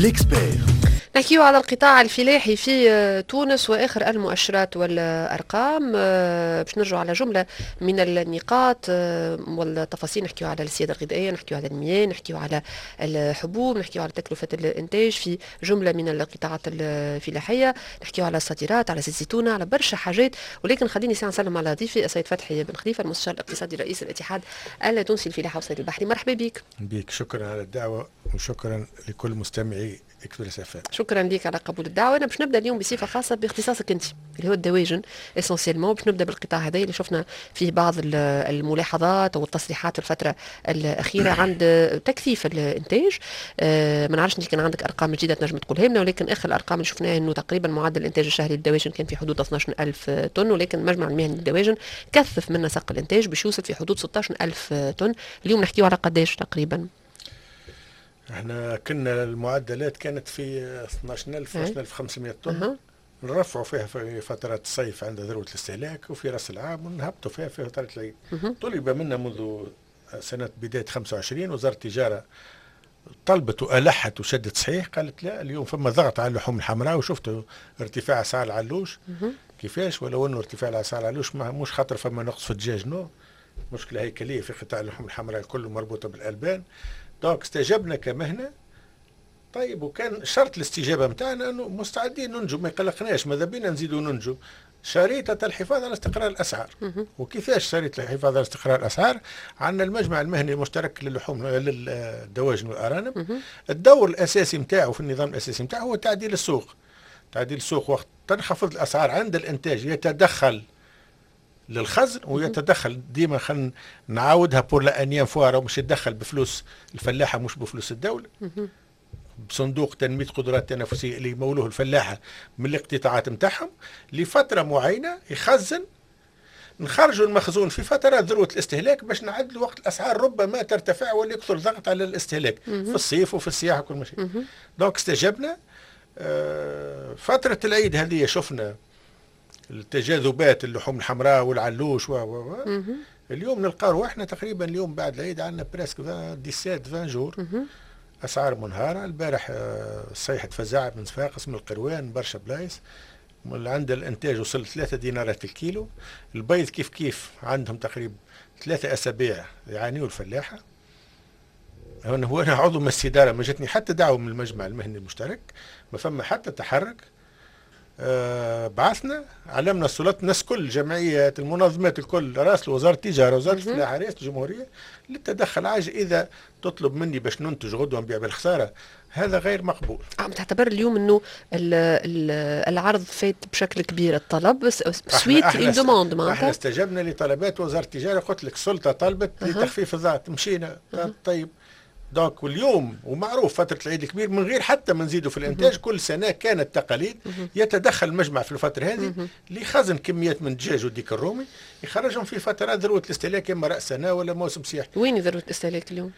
l'expert. نحكيو على القطاع الفلاحي في تونس واخر المؤشرات والارقام، باش نرجعوا على جملة من النقاط والتفاصيل. نحكيو على السيادة الغذائيه، نحكيو على المياه، نحكيو على الحبوب، نحكيو على تكلفة الانتاج في جملة من القطاعات الفلاحيه، نحكيو على الصادرات، على زيت الزيتونه، على برشا حاجات. ولكن خليني ساعة نسلم على ضيفي السيد فتحي بن خليفه، المستشار الاقتصادي رئيس الاتحاد التونسي للفلاحه والصيد البحري. مرحبا بك. بك، شكرا على الدعوة وشكرا لكل مستمعي اكسبريس اف. شكرا لك على قبول الدعوه. انا باش نبدا اليوم بصفة خاصة باختصاصك انت اللي هو الدواجن essentiellement. باش نبدا بالقطاع هذا اللي شفنا فيه بعض الملاحظات والتصريحات الفترة الاخيرة عند تكثيف الانتاج. ما نعرفش انت كان عندك ارقام جديدة تنجم تقولها لنا، ولكن اخر الارقام اللي شفناها انه تقريبا معدل الانتاج الشهري للدواجن كان في حدود 12000 طن، ولكن المجمع المهني للدواجن كثف من نسق الانتاج باش يوصل في حدود 16000 طن. اليوم نحكيو على قداش تقريبا؟ احنا كنا المعدلات كانت في 12000، 12500 طن. نرفعوا فيها في فترات الصيف عند ذروة الاستهلاك وفي راس العام، ونهبطوا فيها في فترة العيد. طلب منا منذ سنة بداية 25، وزارة التجارة طلبت وألحت وشدت صحيح، قالت لا، اليوم فما ضغط على اللحوم الحمراء، وشفتوا ارتفاع اسعار العلوش كيفاش، ولو انه ارتفاع اسعار العلوش مش خاطر فما نقص في الدجاج، non، مشكلة هيكلية في قطاع اللحوم الحمراء الكل مربوطة بالألبان. donc استجبنا كمهنة. طيب، وكان شرط الاستجابة نتاعنا انه مستعدين ننتجوا، ما يقلقناش، ماذا بينا نزيدوا ننتجوا، شريطة الحفاظ على استقرار الأسعار. وكيفاش شريطة الحفاظ على استقرار الأسعار؟ عندنا المجمع المهني المشترك للحوم للدواجن والأرانب، الدور الأساسي نتاعو في النظام الأساسي نتاعو هو تعديل السوق. تعديل السوق وقت تنخفض الأسعار عند الإنتاج يتدخل للخزن ويتدخل ديما، خلينا نعاودها pour la énième fois، مش يتدخل بفلوس الفلاحه، مش بفلوس الدوله، بصندوق تنمية قدرات التنافسية اللي يمولوه الفلاحة من الاقتطاعات نتاعهم لفترة معينه، يخزن، نخرجوا المخزون في فترات ذروة الاستهلاك باش نعدلوا وقت الاسعار ربما ترتفع ولا يكثر ضغط على الاستهلاك في الصيف وفي السياحة وكل شيء. donc استجبنا. فترة العيد هذه شفنا التجاذبات، اللحوم الحمراء والعلوش و و و اليوم نلقى رواحنا تقريبا اليوم بعد العيد عندنا presque 17 20 jours اسعار منهاره. البارح صيحة فزع من صفاقس، من القروان، برشا بلايص عند الانتاج وصل 3 دينارات الكيلو. البيض كيف كيف، عندهم تقريبا 3 اسابيع يعانيوا الفلاحه. انا عضو مجلس اداره، ما جاتني حتى دعوه من المجمع المهني المشترك، ما فما حتى تحرك. بعثنا، علمنا السلطات، الناس كل، الجمعيات، المنظمات الكل راسلوا وزارة التجاره، وزارة الفلاحه، رئاسة الجمهورية للتدخل عاجل. اذا تطلب مني باش ننتج غدوه نبيع بالخساره، هذا غير مقبول. عم تعتبر اليوم انه العرض فات بشكل كبير الطلب suite une demande؟ معناتها احنا استجبنا لطلبات وزارة التجاره. قلت لك السلطة طلبت لتخفيف الضغط، مشينا. طيب، donc واليوم ومعروف فترة العيد الكبير من غير حتى ما نزيدوا في الإنتاج، كل سنة كانت تقاليد يتدخل المجمع في الفترة هذه لخزن كميات من الدجاج والديك الرومي، يخرجهم في فترات ذروة الاستهلاك، إما رأس سنة ولا موسم سياحي. وين ذروة الاستهلاك اليوم؟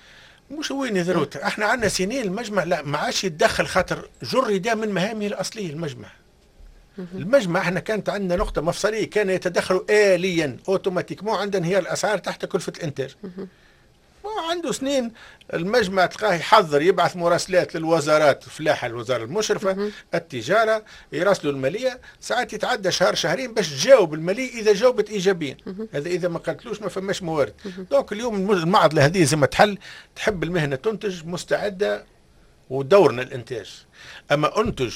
مش وين ذروة، احنا عندنا سنين المجمع لا ما عادش يتدخل خاطر جرد من مهامه الأصلية المجمع. المجمع احنا كانت عندنا نقطة مفصلية، كان يتدخل آليا automatiquement عند انهيار الأسعار تحت كلفة الإنتاج. عنده سنين المجمع تلقاه يحضر، يبعث مراسلات للوزارات، الفلاحه، الوزارة المشرفه، التجاره، يراسلوا الماليه، ساعات يتعدى شهر شهرين باش تجاوب المالية اذا جاوبت ايجابيا، هذا اذا ما قالتلوش ما فماش موارد. donc اليوم المعضلة هذه زي ما تحل. تحب المهنة تنتج، مستعدة ودورنا الانتاج، اما انتج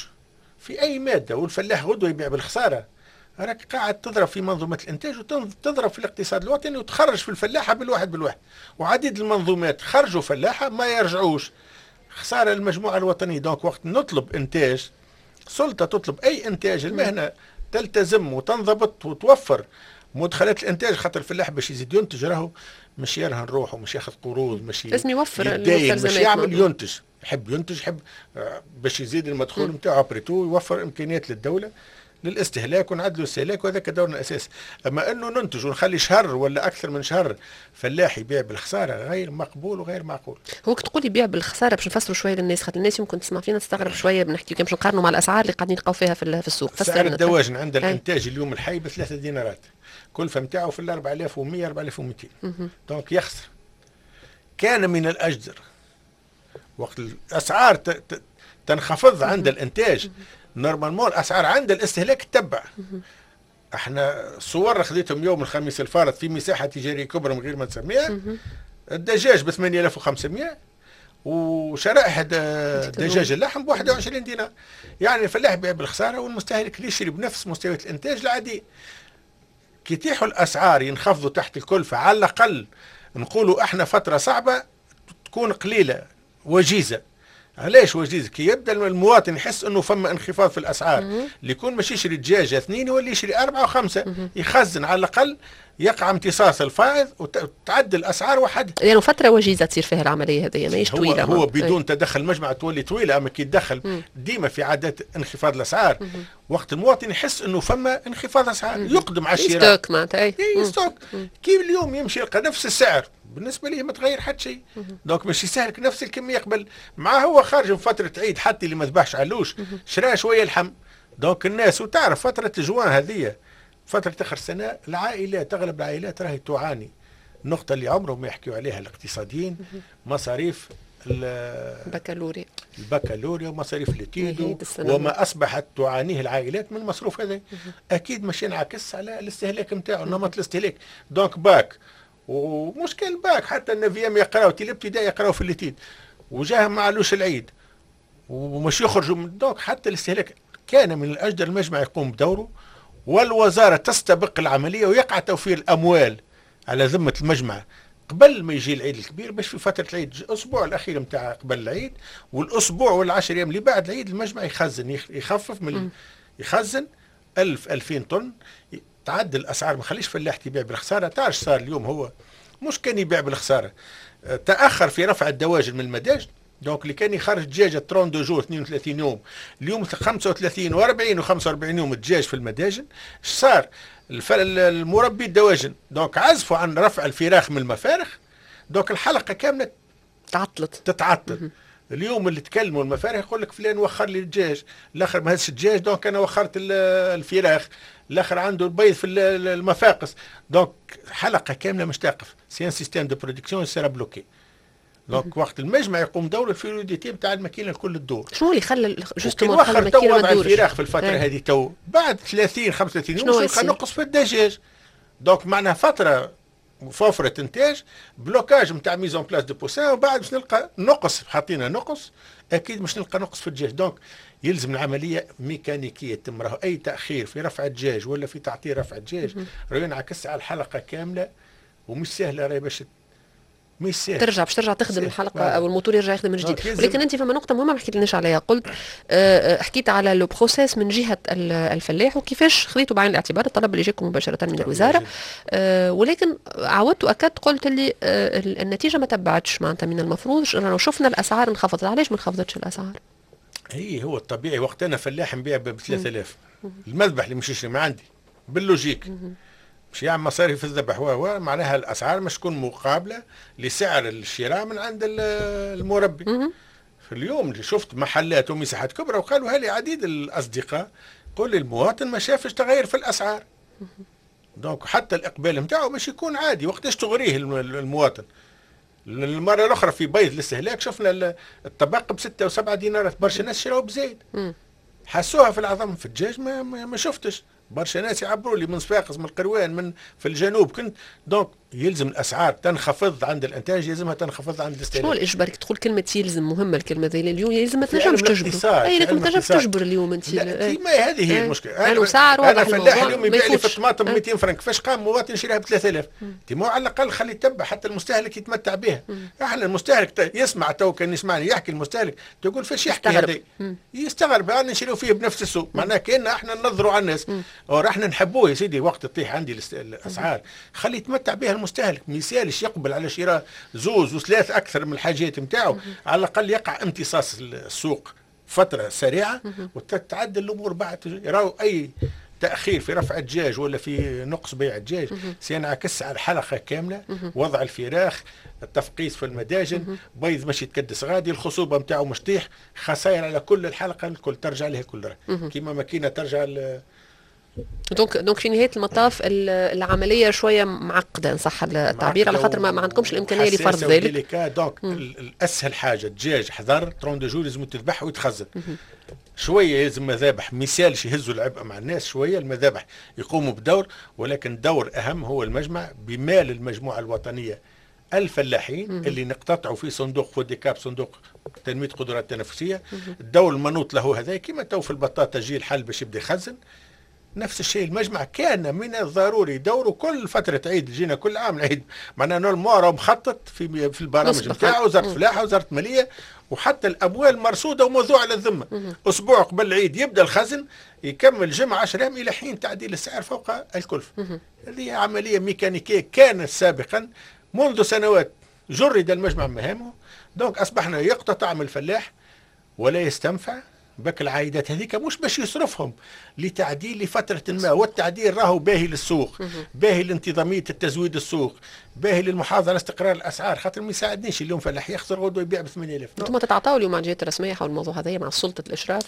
في اي مادة والفلاح غدوه يبيع بالخساره، راك قاعد تضرب في منظومة الإنتاج وتضرب في الاقتصاد الوطني وتخرج في الفلاحة بالواحد بالواحد. وعديد المنظومات خرجوا فلاحة ما يرجعوش، خسارة المجموعة الوطنية. donc وقت نطلب إنتاج، سلطة تطلب أي إنتاج، المهنة تلتزم وتنضبط وتوفر مدخلات الانتاج، خاطر الفلاح باش يزيد ينتج راهو مش يرهن روحه، مش ياخذ قروض، مش لازم يوفر. يتداين، مش يعمل، ينتج، يحب ينتج، يحب باش يزيد المدخول نتاعو، après tout يوفر امكانيات للدولة للاستهلاك ونعدلوا الاستهلاك، وهذاك دورنا الاساسي. اما انه ننتج ونخلي شهر ولا اكثر من شهر فلاح يبيع بالخساره، غير مقبول وغير معقول. هو كي تقول يبيع بالخساره، باش نفسروا شوية للناس، خاطر الناس يمكن تسمع فينا تستغرب شويه، بنحكي كان باش نقارنوا مع الاسعار اللي قاعدين نلقاو فيها في السوق. سعر الدواجن عند الانتاج اليوم الحي ب3 دينارات، كلفه نتاعو في ال 4100، 4200، donc يخسر. كان من الاجدر وقت الاسعار تنخفض عند الانتاج، normalement الاسعار عند الاستهلاك تتبع. احنا صور خذيتهم يوم الخميس الفارط في مساحة تجارية كبرى من غير ما نسميها، الدجاج ب 8500 وشرائح دجاج اللحم ب 21 دينار. يعني الفلاح يبيع بالخساره والمستهلك يشري بنفس مستويات الانتاج العادي. كي يتيحوا الاسعار ينخفضوا تحت الكلفة، على الاقل نقولوا احنا فترة صعبة تكون قليله وجيزة. علاش وجيزة؟ كي يبدا المواطن يحس انه فما انخفاض في الاسعار، اللي يكون مش يشري دجاجه اثنين يولي يشري اربعة وخمسة، يخزن على الاقل يقع امتصاص الفائض وتعدل الاسعار وحدها. لانه يعني فترة وجيزة تصير فيها العملية هذه، ماهيش طويلة. هو بدون تدخل المجمع تولي طويله، اما كي يتدخل ديما في عادات انخفاض الاسعار، وقت المواطن يحس انه فما انخفاض اسعار يقدم على الشراء. stock معناتها. اي stock. كي اليوم يمشي يلقى نفس السعر بالنسبة ليه ما تغير حتى شيء، donc باش يستهلك نفس الكمية قبل. مع هو خارج من فترة عيد، حتى اللي ما ذبحش علوش شرا شوية لحم. donc الناس وتعرف فترة جوان هذه فترة آخر السنة، العائلات أغلب العائلات راهي تعاني. النقطة اللي عمرهم ما يحكيوا عليها الاقتصاديين، مصاريف البكالوريا، البكالوريا ومصاريف les études وما أصبحت تعانيه العائلات من المصروف هذا، أكيد مش ينعكس على الاستهلاك نتاعو، نمط الاستهلاك. donc bac، ومش كان باك، حتى ال neuvième يقراو، الابتدائي يقراو في les études، وجاهم معلوش العيد ومش يخرجوا من donc حتى الاستهلاك. كان من الأجدر المجمع يقوم بدوره والوزارة تستبق العملية ويقع توفير الأموال على ذمة المجمع قبل ما يجي العيد الكبير، باش في فترة العيد الأسبوع الأخير نتاع قبل العيد والأسبوع والعشر أيام اللي بعد العيد المجمع يخزن، يخفف من يخزن 1000 2000 طن، تعدل الأسعار، ما خليش فلاح يبيع بالخسارة. تعرف صار اليوم هو مش كان يبيع بالخسارة، تأخر في رفع الدواجن من المداجن. donc اللي كان يخرج دجاجه 32 jours 32 يوم، اليوم 35 و40 و45 يوم الدجاج في المداجن. اش صار؟ المربي الدواجن donc عزفوا عن رفع الفراخ من المفارخ، donc الحلقة كاملة تعطلت، تتعطل. اليوم اللي تكلموا المفارخ يقول لك فلان وخر لي الدجاج، الاخر ما هزش الدجاج donc انا وخرت الفراخ، الاخر عنده البيض في المفاقس. donc حلقة كاملة مش تقف، c'est un système de production sera bloqué. donc وقت المجمع يقوم دور ال fluidité نتاع الماكينة الكل تدور. شنو اللي خلى justement خلى الماكينة ما تدورش؟ الفراخ في الفترة هذه تو بعد 30 35 يوم نلقى نقص في الدجاج. donc معناها فترة وفرة انتاج، blocage نتاع mise en place de poussins، وبعد باش نلقى نقص، حطينا نقص اكيد مش نلقى نقص في الدجاج. donc يلزم العملية ميكانيكية تم، راهو اي تاخير في رفع الدجاج ولا في تعطيل رفع الدجاج راهو ينعكس على الحلقة كاملة، ومش سهلة راهي باش مش سهل ترجع باش ترجع تخدم الحلقة او الموتور يرجع يخدم من جديد. ولكن انت فما نقطة مهمة ما حكيت عليها، قلت حكيت على le processus من جهة الفلاح وكيفاش خذيتوا بعين الاعتبار الطلب اللي جاكم مباشرة من الوزاره، ولكن عاودت واكدت قلت اللي النتيجة ما تبعتش، معناتها من المفروض لو شفنا الاسعار انخفضت، علاش ما انخفضتش الاسعار؟ هي هو الطبيعي وقت انا فلاح نبيع ب 3000، المذبح اللي مش يشري ما عندي بال logique مش يعمل مصاريف الذبح، و معناها الاسعار مش تكون مقابله لسعر الشراء من عند المربي. في اليوم اللي شفت محلات ومساحات كبرى وقالوا لي عديد الاصدقاء، قل المواطن ما شافش تغير في الاسعار. donc حتى الاقبال نتاعو مش يكون عادي. وقتاش تغريه المواطن؟ المرة الاخرى في بيض الاستهلاك شفنا الطبق ب6 و7 دينارات، برشا ناس شراو بزايد، حسوها في العظم. في الدجاج ما شفتش، برشا ناس يعبروا لي من صفاقس، من القروان، من في الجنوب كنت. donc يلزم الاسعار تنخفض عند الانتاج، يلزمها تنخفض عند الاستهلاك. شنو الاجبار؟ تقول كلمة يلزم، مهمة الكلمة ذي اليوم، يلزم ما تنجمش تجبر، اي لكن ما تنجمش تجبر اليوم انت. ما هذه هي المشكله. انا سعر انا فلاح اليوم يبيع لي في الطماطم 200 فرنك، كيفاش قام مواطن يشريها ب 3000؟ تي على الاقل خلي يتبع حتى المستهلك يتمتع بها. احنا المستهلك يسمع تو، كان يسمعني يحكي المستهلك تقول فاش يحكي هذا، يستغرب، انا نشريو فيه بنفس السوق، معناها كان احنا ننظروا على الناس، احنا نحبوه يا سيدي. وقت تطيح عندي الاسعار خلي يتمتع بها المستهلك، ما يسالش يقبل على شراء زوز وثلاث اكثر من الحاجات نتاعو، على الاقل يقع امتصاص السوق فترة سريعة وتتعدل الامور بعد. راهو اي تاخير في رفع الدجاج ولا في نقص بيع الدجاج سينعكس على الحلقة كامله، وضع الفراخ، التفقيس في المداجن، بيض مش يتكدس غادي، الخصوبة نتاعو مش تطيح، خسائر على كل الحلقة الكل ترجع لها كل، كيما ماكينة ترجع. donc في نهاية المطاف العملية شوية معقدة ان صح التعبير، على خاطر ما عندكمش الامكانية لفرض ذلك. donc الاسهل حاجة الدجاج حضر 32 jours لازم تذبح ويتخزن. شوية لازم مذابح مثالش يهزوا العبء مع الناس شويه، المذابح يقوموا بدور، ولكن دور اهم هو المجمع بمال المجموعة الوطنية الفلاحين اللي نقتطعوا في صندوق فوديكاب، صندوق تنمية قدرات التنافسيه. الدور المنوط له هذا كما تو في البطاطا جي الحل باش يبدا يخزن. نفس الشيء المجمع كان من الضروري دوره كل فترة عيد، جينا كل عام العيد معناها normalement مخطط في البرامج نتاعو، وزارة الفلاحة وزارة المالية، وحتى الاموال مرصوده وموضوعه على الذمه. اسبوع قبل العيد يبدا الخزن، يكمل جمعه 10 ايام الى حين تعديل السعر فوق الكلفه. هذه عملية ميكانيكية كانت سابقا منذ سنوات جرد المجمع مهامه. donc اصبحنا يقتطع من الفلاح ولا يستنفع بك العائدات هذيك، مش باش يصرفهم لتعديل لفترة ما، والتعديل راهو باهي للسوق، باهي لانتظامية التزويد السوق، باهي للمحافظة على استقرار الأسعار، خاطر ما يساعدنيش اليوم فلاح يخسر غدوة يبيع ب 8000. انتم تتعاطوا اليوم مع الجهات الرسمية حول الموضوع هذا مع سلطة الإشراف؟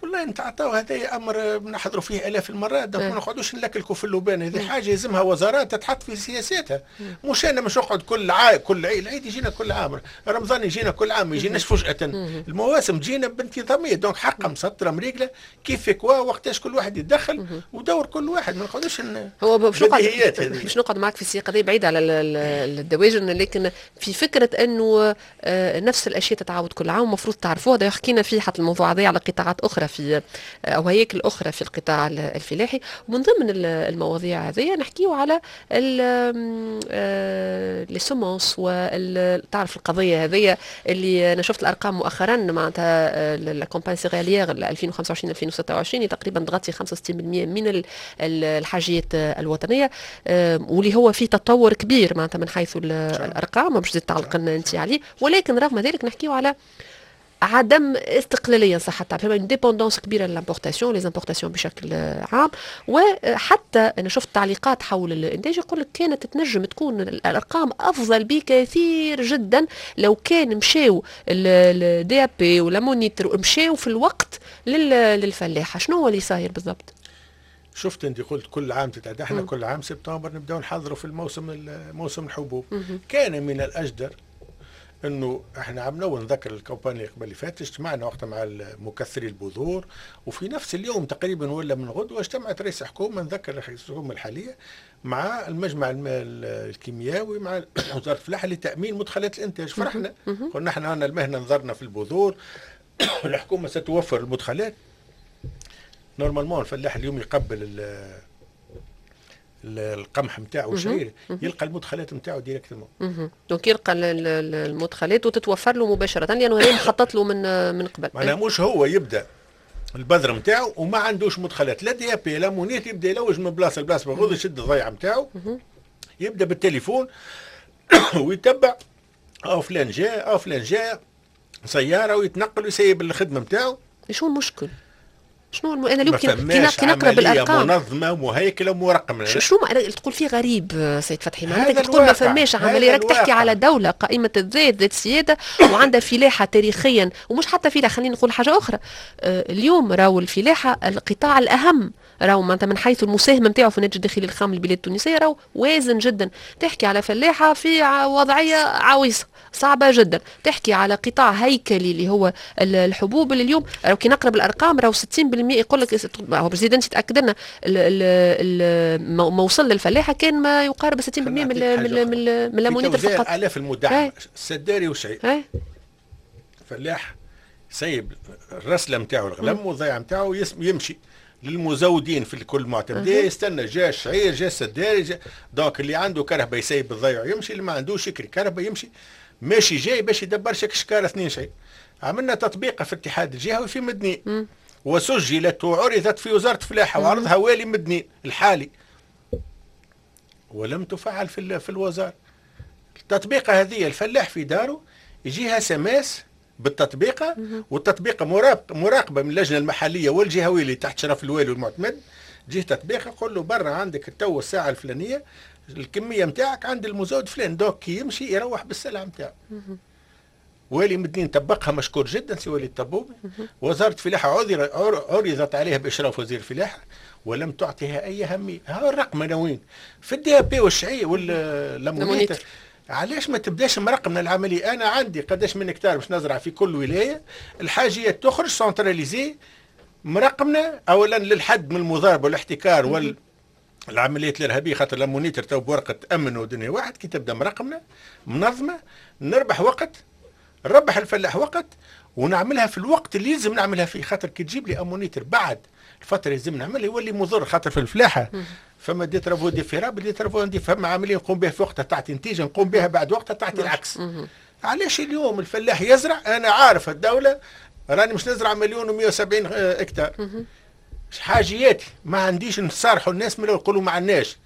والله نتعاطاو، هذا امر نحضروا فيه الاف المرات، donc ما نقعدوش نلكلكوا في اللبان. هذه حاجة يلزمها وزارات تتحط في سياساتها، مش انا مش نقعد كل عام، كل عيد، العيد يجينا كل عام، رمضان يجينا كل عام، ما يجيناش فجاة. المواسم تجينا بانتظاميه، donc حقا مسطرة مريقله كيف quoi وقتاش كل واحد يتدخل ودور كل واحد، ما نقعدوش هو باش نقعد معك في السياق هذا بعيد على الدواجن، لكن في فكرة انه نفس الاشياء تتعاود كل عام المفروض تعرفوها. هذا حكينا فيه حتى الموضوع هذا على قطاعات اخرى في او هياكل اخرى في القطاع الفلاحي. ومن ضمن المواضيع هذه نحكيو على les semences، وتعرف القضية هذه اللي انا شفت الارقام مؤخرا، معناتها la campagne céréalière 2025 2026 تقريبا تغطي 65% من الحاجيات الوطنيه، واللي هو في تطور كبير معناتها من حيث الارقام، باش تعلق لنا انت عليه. ولكن رغم ذلك نحكيو على عدم استقلالية صح التعبير، une dépendance كبيرة l'importation، les importations بشكل عام. وحتى انا شفت تعليقات حول الانتاج يقول لك كانت تنجم تكون الارقام افضل بكثير جدا لو كان مشاو ال DAP ولا l'ammonitre مشاو في الوقت للفلاحه. شنو هو اللي صاير بالضبط؟ شفت انت قلت كل عام تتعدى، احنا كل عام سبتمبر نبداو نحضروا في الموسم، موسم الحبوب. كان من الاجدر انه احنا عملنا، ونذكر ال campagne اللي قبل اللي فات اجتمعنا وقتها مع مكثري البذور، وفي نفس اليوم تقريبا ولا من غدوه اجتمعت رئيس حكومه، نذكر رئيس الحكومة الحاليه، مع المجمع الكيميائي مع وزارة الفلاحة لتامين مدخلات الانتاج. فرحنا، قلنا احنا عندنا المهنه، نظرنا في البذور، الحكومة ستوفر المدخلات. normalement الفلاح اليوم يقبل القمح نتاعو والشعير يلقى المدخلات نتاعو directement. donc يلقى المدخلات وتتوفر له مباشرة لانه هي مخطط له من قبل. معناها مش هو يبدا البذر نتاعو وما عندوش مدخلات لا DAP لا ammonitre، يبدا يلوج من بلاصة لبلاصه، بغوض يشد الضيعة نتاعو، يبدا بالتليفون ويتبع او فلان جاء او فلان جاء سيارة ويتنقل ويسيب الخدمة نتاعو. شو المشكل؟ شنو انا اليوم كي نقرا بالارقام منظمة مهيكله ومرقمه. شنو تقول فيه غريب سيد فتحي؟ معناتها تقول ما فماش عمليه، راك تحكي على دولة قائمة الذات ذات سيادة وعندها فلاحة تاريخيا، ومش حتى فلاحه، خلينا نقول حاجة اخرى. اليوم راهو الفلاحة القطاع الاهم، راهو معناتها من حيث المساهمة نتاعو في الناتج الداخلي الخام للبلاد التونسية راهو وازن جدا. تحكي على فلاحة في وضعية عويصة صعبة جدا، تحكي على قطاع هيكلي اللي هو الحبوب، اللي اليوم راهو كي نقرا بالارقام راهو 60% يقول لك، هو باش زيد انت تاكد لنا، ما وصل للفلاحه كان ما يقارب 60% من l'ammonitre فقط. الاف المدعمه السداري وشعير، فلاح سيب الرسله نتاعو الغلم والضيعه نتاعو يمشي للمزودين في كل معتمديه، يستنى جا الشعير جا السداري جا، donc اللي عنده كرهبه يسيب الضيع يمشي، اللي ما عندوش يكري كرهبه يمشي ماشي جاي باش يدبر شكاره اثنين شيء. عملنا تطبيقه في الاتحاد الجهوي في مدني وسجلت وعرضت في وزارة الفلاحة وعرضها والي مدني الحالي ولم تفعل في الوزارة. التطبيقه هذه الفلاح في داره يجيها SMS بالتطبيقه، والتطبيقه مراقبة من اللجنة المحلية والجهويه اللي تحت شرف الوالي والمعتمد. جيه تطبيقه قول له برا عندك التو الساعة الفلانية الكمية نتاعك عند المزود فلان، donc كي يمشي يروح بالسلعه نتاعو. والي مدنين طبقها مشكور جدا سي وليد الطبوبي. وزارة الفلاحة عرضت عليها باشراف وزير الفلاحة ولم تعطيها اي اهمية. ها الرقمنه وين؟ في ال DAP والشعير وال ammonitre. علاش ما تبداش مرقمنا العملية؟ انا عندي قداش من هكتار باش نزرع في كل ولاية، الحاجيات تخرج centralisée مرقمنا اولا للحد من المضاربة والاحتكار والعمليات الارهابية، خاطر l'ammonitre تو بورقه امن ودنيا واحد. كي تبدا مرقمنا منظمة نربح وقت، نربح الفلاح وقت، ونعملها في الوقت اللي لازم نعملها فيه. خاطر كي تجيب لي ammonitre بعد الفترة لازم نعملها يولي مضر، خاطر في الفلاحة فما des travaux différables، des travaux indif، فما عملية نقوم بها في وقتها تعطي نتيجة، نقوم بها بعد وقتها تعطي العكس. علاش اليوم الفلاح يزرع؟ انا عارف الدولة راني مش نزرع 1,170,000 هكتار، حاجياتي ما عنديش. نصارحوا الناس من يقولوا ما عندناش،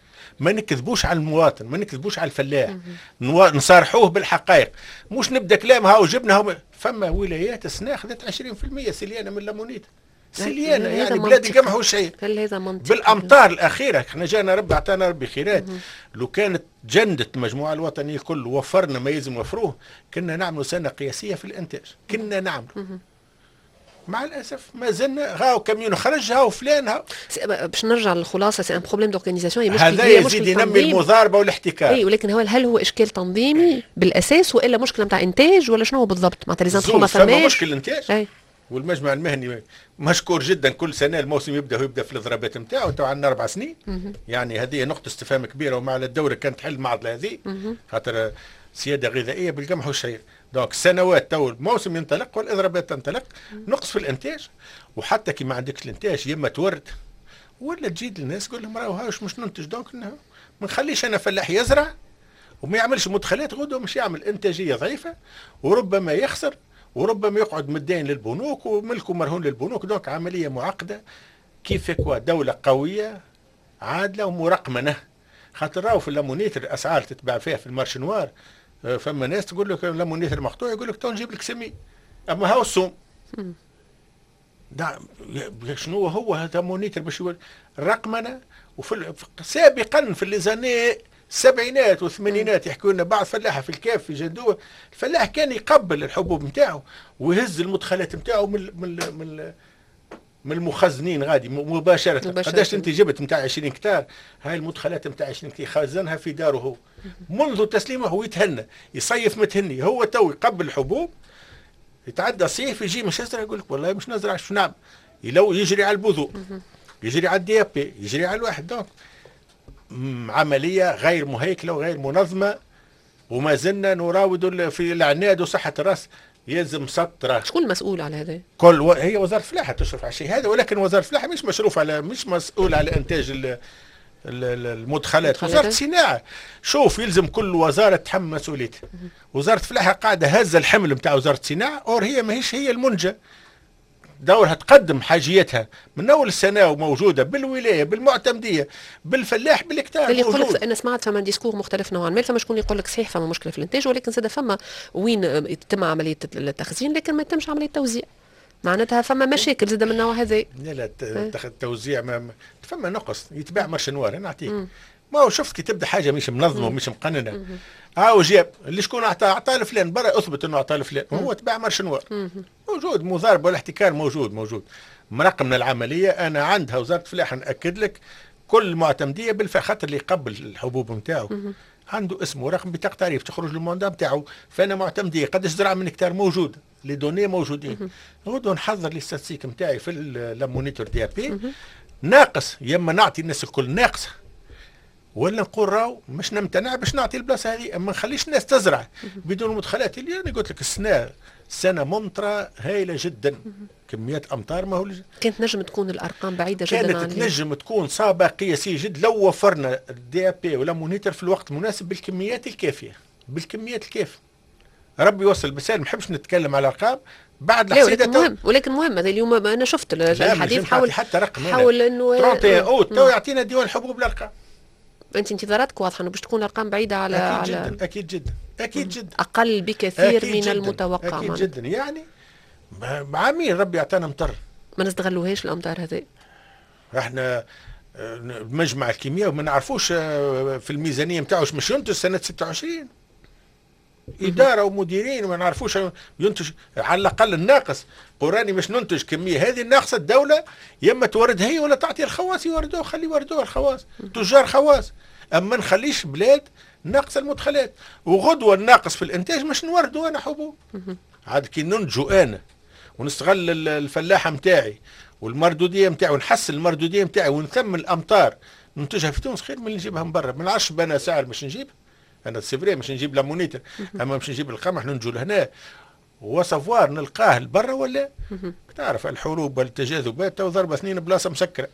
ما نكذبوش على المواطن، ما نكذبوش على الفلاح، نصارحوه بالحقائق، مش نبدا كلام هاو جبنا هاو. فما ولايات السنة خذت 20% سليانه من l'ammonitre، سليانه يعني بلاد القمح والشعير. هل هذا منطقي؟ بالامطار الاخيرة احنا جانا ربي اعطانا ربي خيرات، لو كانت جندت المجموعة الوطنية الكل وفرنا ما يلزم وفروه كنا نعملوا سنة قياسية في الانتاج، كنا نعملوا. مع الاسف ما زلنا هاو كاميون خرج هاو فلان هاو. باش نرجع للخلاصه، c'est un problème d'organisation. هذا يزيد ينمي المضاربة والاحتكار. اي، ولكن هو هل هو اشكال تنظيمي بالاساس والا مشكلة نتاع انتاج ولا شنو هو بالضبط؟ معناتها les intrants ما فماش مشكل انتاج. أي. والمجمع المهني مشكور جدا، كل سنة الموسم يبدا ويبدا في الاضرابات نتاعو، تو عندنا 4 سنين. يعني هذه نقطة استفهام كبيرة، ومع الدولة كانت تحل المعضلة هذه، خاطر سيادة غذائية بالقمح والشعير. donc سنوات تو الموسم ينطلق والاضرابات تنطلق، نقص في الانتاج. وحتى كي ما عندكش الانتاج يا اما تورد ولا تجي للناس تقول لهم راهو هاش مش ننتج، donc ما نخليش انا فلاح يزرع وما يعملش مدخلات، غدوه مش يعمل انتاجية ضعيفة وربما يخسر وربما يقعد مدين للبنوك وملكه مرهون للبنوك. donc عملية معقدة. كيف quoi دولة قوية عادلة ومرقمنه، خاطر راهو في l'ammonitre الاسعار تتباع فيها في ال marché noir. فما ناس تقول لك l'ammonitre مقطوع، يقول لك تو نجيب لك سمي، اما هاو السوم شنو هو هذا ammonitre باش يولي رقمنه. وفي سابقا في les années السبعينات والثمانينات يحكوا لنا بعض فلاحة في الكاف في جندوه، الفلاح كان يقبل الحبوب نتاعو ويهز المدخلات نتاعو من المخزنين غادي مباشرة. قداش انت جبت نتاع 20 هكتار، هاي المدخلات نتاع 20 هكتار خزنها في داره هو منذ تسليمه، هو يتهنى يصيف متهني. هو تو يقبل الحبوب، يتعدى صيف يجي مش يزرع، يقول لك والله مش نزرع، شو نعمل؟ لو يجري على البذور، يجري على ال DAP، يجري على الواحد. donc عملية غير مهيكله وغير منظمة، وما زلنا نراود في العناد وصحة الراس. يلزم سطره. شكون المسؤول على هذا؟ هي وزارة الفلاحة تشرف على الشيء هذا، ولكن وزارة الفلاحة مش مشروف على مش مسؤول على انتاج المدخلات. وزارة الصناعة، شوف يلزم كل وزارة تحمل مسؤوليتها. وزارة الفلاحة قاعدة هزه الحمل نتاع وزارة الصناعة، or هي ماهيش هي المنجه، دورها تقدم حاجيتها من اول السنة وموجودة بالولايه بالمعتمديه بالفلاح بالهكتار. اللي يقول لك انا سمعت فما discours مختلف نوعا ما، فما شكون يقول لك صحيح فما مشكلة في الانتاج، ولكن زاد فما وين يتم عملية التخزين لكن ما يتمش عملية التوزيع، معناتها فما مشاكل زاد من النوع هذا. لا لا، التوزيع ما فما نقص، يتباع marché noir. انا نعطيك، ما هو شفت كي تبدا حاجة مش منظمة ومش مقننه، هاو جاب اللي شكون اعطاه، اعطاه لفلان، برا اثبت انه اعطاه لفلان، وهو تباع marché noir. موجود مضاربة والاحتكار موجود موجود. مرقمنا العملية انا عندها وزارة الفلاحة، ناكد لك كل معتمديه بالفعل، خاطر اللي يقبل الحبوب نتاعو عنده اسمه ورقم بطاقة تعريف، تخرج ال mandat نتاعو، فانا معتمديه قداش زرع من هكتار موجود، les données موجودين. غدوه نحضر les statistiques نتاعي في l'ammonitre DAP ناقص، يا اما نعطي الناس الكل ناقصه، ولا نقول راهو مش نمتنع باش نعطي البلاصة هذه، ما نخليش الناس تزرع بدون مدخلات. اللي انا قلت لك السنة سنة ممطره هائلة جدا، كميات امطار ما هو كانت نجم تكون الارقام بعيدة جدا. كانت تنجم تكون صابه قياسية جدا لو وفرنا ال DAP و l'ammonitre في الوقت المناسب بالكميات الكافيه، بالكميات الكافيه. ربي يوصل بسالم، ما نحبش نتكلم على الارقام بعد الحصيده. ولكن مهم، ولكن مهم هذا. اليوم انا شفت الحديث حاول حتى رقم حاول انه 31 اوت تو يعطينا ديوان الحبوب الارقام. انت انتظاراتك واضحة انه باش تكون الارقام بعيدة على اكيد على جدا، اكيد جدا، اكيد جدا. اقل بكثير أكيد من جداً. المتوقع. اكيد جدا، يعني عامين ربي اعطانا مطر. ما نستغلوهاش الامطار هذه. احنا مجمع الكيمياء وما نعرفوش في الميزانية نتاعو مش ينتج سنة 26. ادارة ومديرين وما نعرفوش ينتج على الاقل الناقص. قراني مش ننتج كمية هذه الناقصة، الدولة يا اما تورد هي ولا تعطي الخواص يوردوه، خلي يوردوه الخواص، تجار خواص. اما نخليش بلاد ناقصه المدخلات، وغدوه الناقص في الانتاج مش نوردوا انا حبوب. عاد كي ننتجو انا ونستغل الفلاحة نتاعي والمردوديه نتاعي ونحسن المردوديه نتاعي ونثمن الامطار ننتجها في تونس خير من اللي نجيبها من برا. ما نعرفش بنا سعر باش نجيب انا، c'est vrai مش نجيب l'ammonie، اما مش نجيب القمح ننتجو لهنا و savoir نلقاه لبرا ولا. تعرف الحروب والتجاذبات تو ضربه اثنين بلاصة مسكره،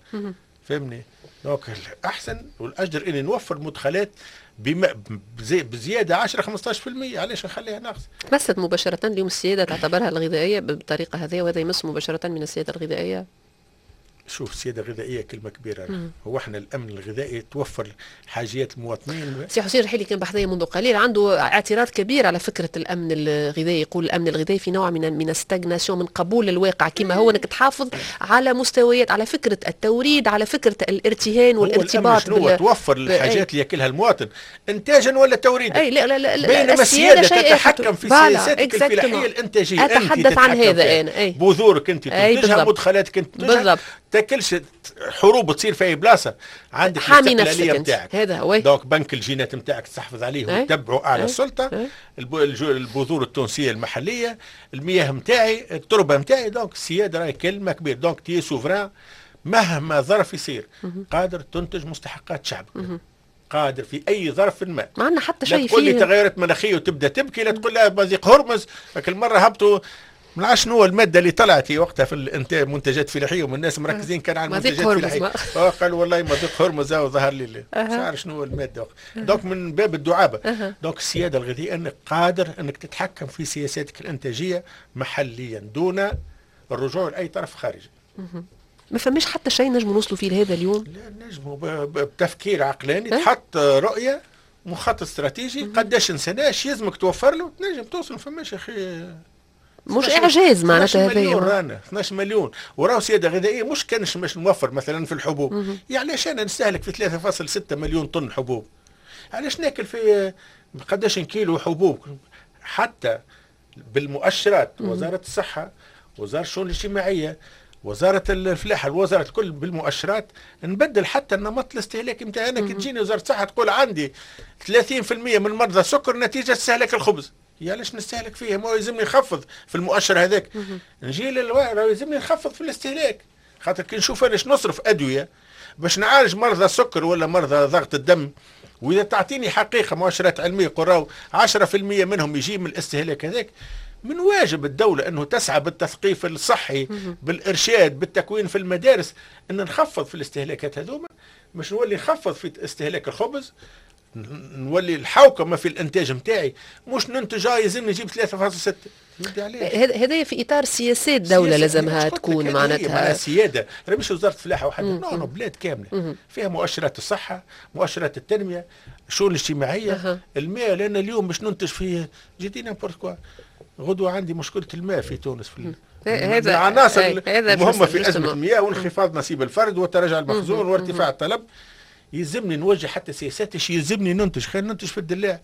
فهمني؟ donc الاحسن والاجدر اني نوفر مدخلات بما بزيادة 10 15%، علاش نخليها ناقص؟ تمست مباشرة اليوم السيادة تعتبرها الغذائية بالطريقة هذه، وهذا يمس مباشرة من السيادة الغذائية. شوف، السيادة الغذائية كلمة كبيرة. هو احنا الامن الغذائي توفر حاجيات المواطنين. سي حسين الرحيلي كان بحذايا منذ قليل، عنده اعتراض كبير على فكرة الامن الغذائي، يقول الامن الغذائي في نوع من stagnation، من قبول الواقع كما هو، انك تحافظ على مستويات، على فكرة التوريد، على فكرة الارتهان والارتباط. بال... توفر الحاجات اللي ياكلها المواطن انتاجا ولا توريدا. اي لا لا لا، بينما السيادة تتحكم في سياساتك الفلاحية الانتاجيه. اتحدث عن هذا انا. اي بذورك انت تنتجها، مدخلاتك انت تنتجها بالضبط. تاكلش حروب تصير في اي بلاصة، عندك حامي نفسك نتاعك. هذا هو. donc بنك الجينات نتاعك تستحفظ عليه وتتبعه اعلى السلطه، البذور التونسية المحليه، المياه نتاعي، التربة نتاعي. donc السيادة راهي كلمة كبيرة. donc t'es souverain مهما ظرف يصير، قادر تنتج مستحقات شعبك، قادر في اي ظرف ما. ما عندنا حتى شيء. لا تقول لي تغيرت مناخيه وتبدا تبكي، لا تقول لا مضيق هرمز. لكن المرة هبطوا ما نعرفش شنو المادة اللي طلعت في وقتها في الانتاج منتجات فلاحيه، والناس مركزين كان على المنتجات الفلاحيه. قالوا والله مضيق هرمز وظهر لي مش عارف شنو المادة. donc من باب الدعابه. donc السيادة الغذائية انك قادر انك تتحكم في سياساتك الانتاجية محليا دون الرجوع لاي طرف خارجي. ما فماش حتى شيء نجم نوصلوا فيه لهذا اليوم؟ لا، نجموا بتفكير عقلاني، تحط رؤيه، مخطط استراتيجي، قداش سنة يلزمك توفر له، تنجم توصل. ما فماش يا اخي. مش اعجاز معناتها. هذا مليون رانا 12 مليون، وراهو سيادة غذائية مش كانش باش نوفر مثلا في الحبوب. يعني علاش انا نستهلك في 3.6 مليون طن حبوب؟ علاش ناكل في قداش كيلو حبوب؟ حتى بالمؤشرات، وزارة الصحه، وزارة الشؤون الاجتماعيه، وزارة الفلاحه، الوزارة الكل بالمؤشرات نبدل حتى النمط الاستهلاكي نتاعي. انا كي تجيني وزارة الصحة تقول عندي 30% من مرضى السكر نتيجة استهلاك الخبز، يا علاش نستهلك فيه؟ ما يلزمني نخفض في المؤشر هذاك. نجي يلزمني نخفض في الاستهلاك، خاطر كي نشوف انا نصرف ادوية باش نعالج مرضى السكر ولا مرضى ضغط الدم، واذا تعطيني حقيقة مؤشرات علمية قراو 10% منهم يجي من الاستهلاك هذاك، من واجب الدولة أنه تسعى بالتثقيف الصحي، بالإرشاد، بالتكوين في المدارس، أن نخفض في الاستهلاكات هذوما، مش نولي نخفض في استهلاك الخبز، نولي الحوكمة في الإنتاج نتاعي، مش ننتج يلزمني نجيب 3.6. هذا في اطار سياسات دولة لازمها تكون معناتها سياده، مش وزارة الفلاحة وحدها، non non، بلاد كاملة فيها مؤشرات الصحه، مؤشرات التنميه، الشؤون الاجتماعيه، الماء. لان اليوم باش ننتج فيه je dis n'importe quoi، غدوه عندي مشكلة الماء في تونس، في هذا العناصر المهمة في ازمة المياه وانخفاض نصيب الفرد وتراجع المخزون وارتفاع الطلب. يلزمني نوجه حتى سياسات ايش يلزمني ننتج، خلينا ننتج في الدلاع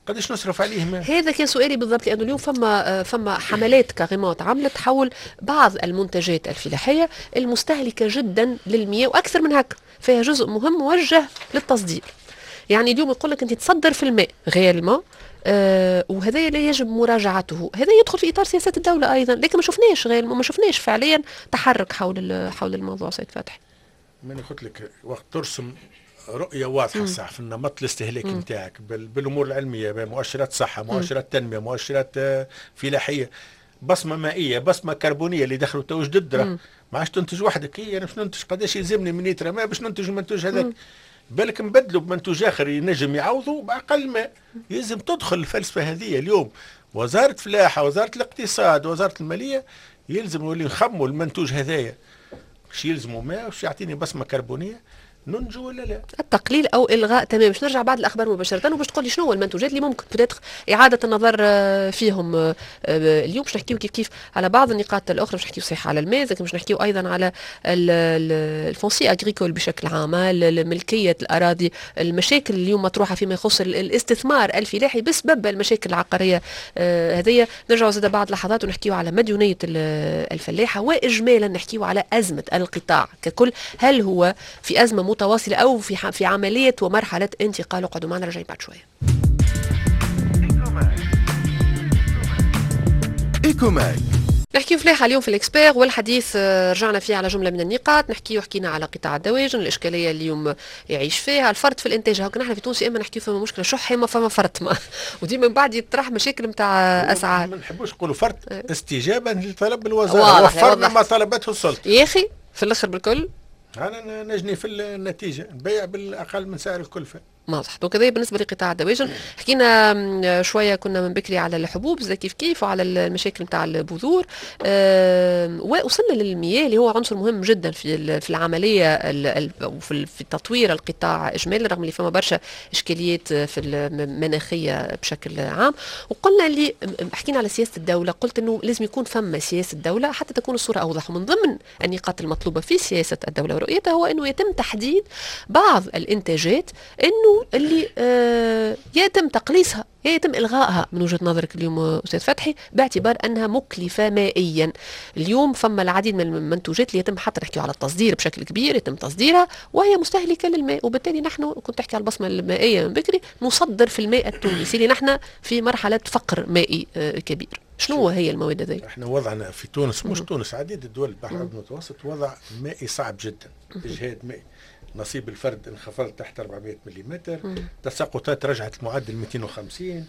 قداش نصرف عليه ماء. هذا كان سؤالي بالضبط، لانه اليوم فما حملات carrément عملت حول بعض المنتجات الفلاحية المستهلكه جدا للمياه، واكثر من هكا فيها جزء مهم موجه للتصدير. يعني اليوم يقول لك انت تصدر في الماء réellement، وهذا لا يجب مراجعته، هذا يدخل في اطار سياسات الدولة ايضا، لكن ما شفناش غير ما شفناش فعليا تحرك حول الموضوع سيد فتحي. من قلت لك وقت ترسم رؤية واضحة صح في النمط الاستهلاكي نتاعك بالامور العلميه، بمؤشرات صحه، مؤشرات تنميه، مؤشرات فلاحيه، بصمة مائيه، بصمة كربونيه اللي دخلوا تو جدد، ما عادش تنتج وحدك. هي انا باش ننتج قداش يلزمني من لتر ماء باش ننتج المنتوج هذاك؟ بالك نبدلوا بمنتوج اخر ينجم يعوضوا باقل ماء. يلزم تدخل الفلسفة هذه اليوم وزارة فلاحه، وزارة الاقتصاد، وزارة الماليه، يلزم نولي نخموا المنتوج هذايا باش يلزموا ماء، باش يعطيني بصمة كربونيه. ننجو ولا لا؟ التقليل او الغاء تمام. باش نرجع بعد الاخبار مباشرة وباش تقول لي شنو هو المنتوجات اللي ممكن peut-être اعاده النظر فيهم. اليوم باش نحكيو كيف كيف على بعض النقاط الاخرى، باش نحكيو صحيح على الماء، باش نحكيو ايضا على ال foncier agricole بشكل عام، ملكية الاراضي، المشاكل اليوم مطروحة فيما يخص الاستثمار الفلاحي بسبب المشاكل العقارية هذه. نرجعوا زاد بعد لحظات ونحكيو على مديونية الفلاحة، واجمالا نحكيو على ازمة القطاع ككل، هل هو في ازمة متواصلة او في عملية ومرحلة انتقال؟ اقعدوا معنا، راجعين بعد شوية. إيكوماك نحكيو فلاحة اليوم في ال expert، والحديث رجعنا فيه على جملة من النقاط. نحكيو حكينا على قطاع الدواجن، الاشكالية اللي اليوم يعيش فيها الفرط في الانتاج. هاك نحن في تونس اما نحكيو فما مشكلة شح اما فما فرط، ما وديما من بعد يطرح مشاكل نتاع اسعار. ما نحبوش نقولوا فرط، استجابة لطلب الوزارة، وفرنا ما طلبته السلطة. يا اخي في الاخر بالكل انا نجني في النتيجة، نبيع بالاقل من سعر الكلفة. واضح. donc هذا بالنسبة لقطاع الدواجن. حكينا شوية كنا من بكري على الحبوب زي كيف كيف وعلى المشاكل نتاع البذور، ووصلنا للمياه اللي هو عنصر مهم جدا في العملية وفي في تطوير القطاع اجمالا، رغم اللي فما برشا اشكاليات في المناخية بشكل عام. وقلنا اللي حكينا على سياسة الدولة، قلت انه لازم يكون فما سياسة دولة حتى تكون الصورة اوضح. ومن ضمن النقاط المطلوبة في سياسة الدولة ورؤيتها هو انه يتم تحديد بعض الانتاجات انه اللي يتم تقليصها يتم إلغائها من وجهة نظرك اليوم أستاذ فتحي، باعتبار أنها مكلفة مائيا. اليوم فما العديد من المنتوجات اللي يتم، حتى نحكي على التصدير بشكل كبير، يتم تصديرها وهي مستهلكة للماء، وبالتالي نحن كنت تحكي على البصمة المائية من بكري، نصدر في الماء التونسي اللي نحن في مرحلة فقر مائي كبير. شنو هي المواد هذه؟ احنا وضعنا في تونس، مش تونس، عديد الدول البحر المتوسط وضع مائي صعب جدا، اجهاد مائي. نصيب الفرد انخفض تحت 400 ملم، تساقطات رجعت المعدل 250،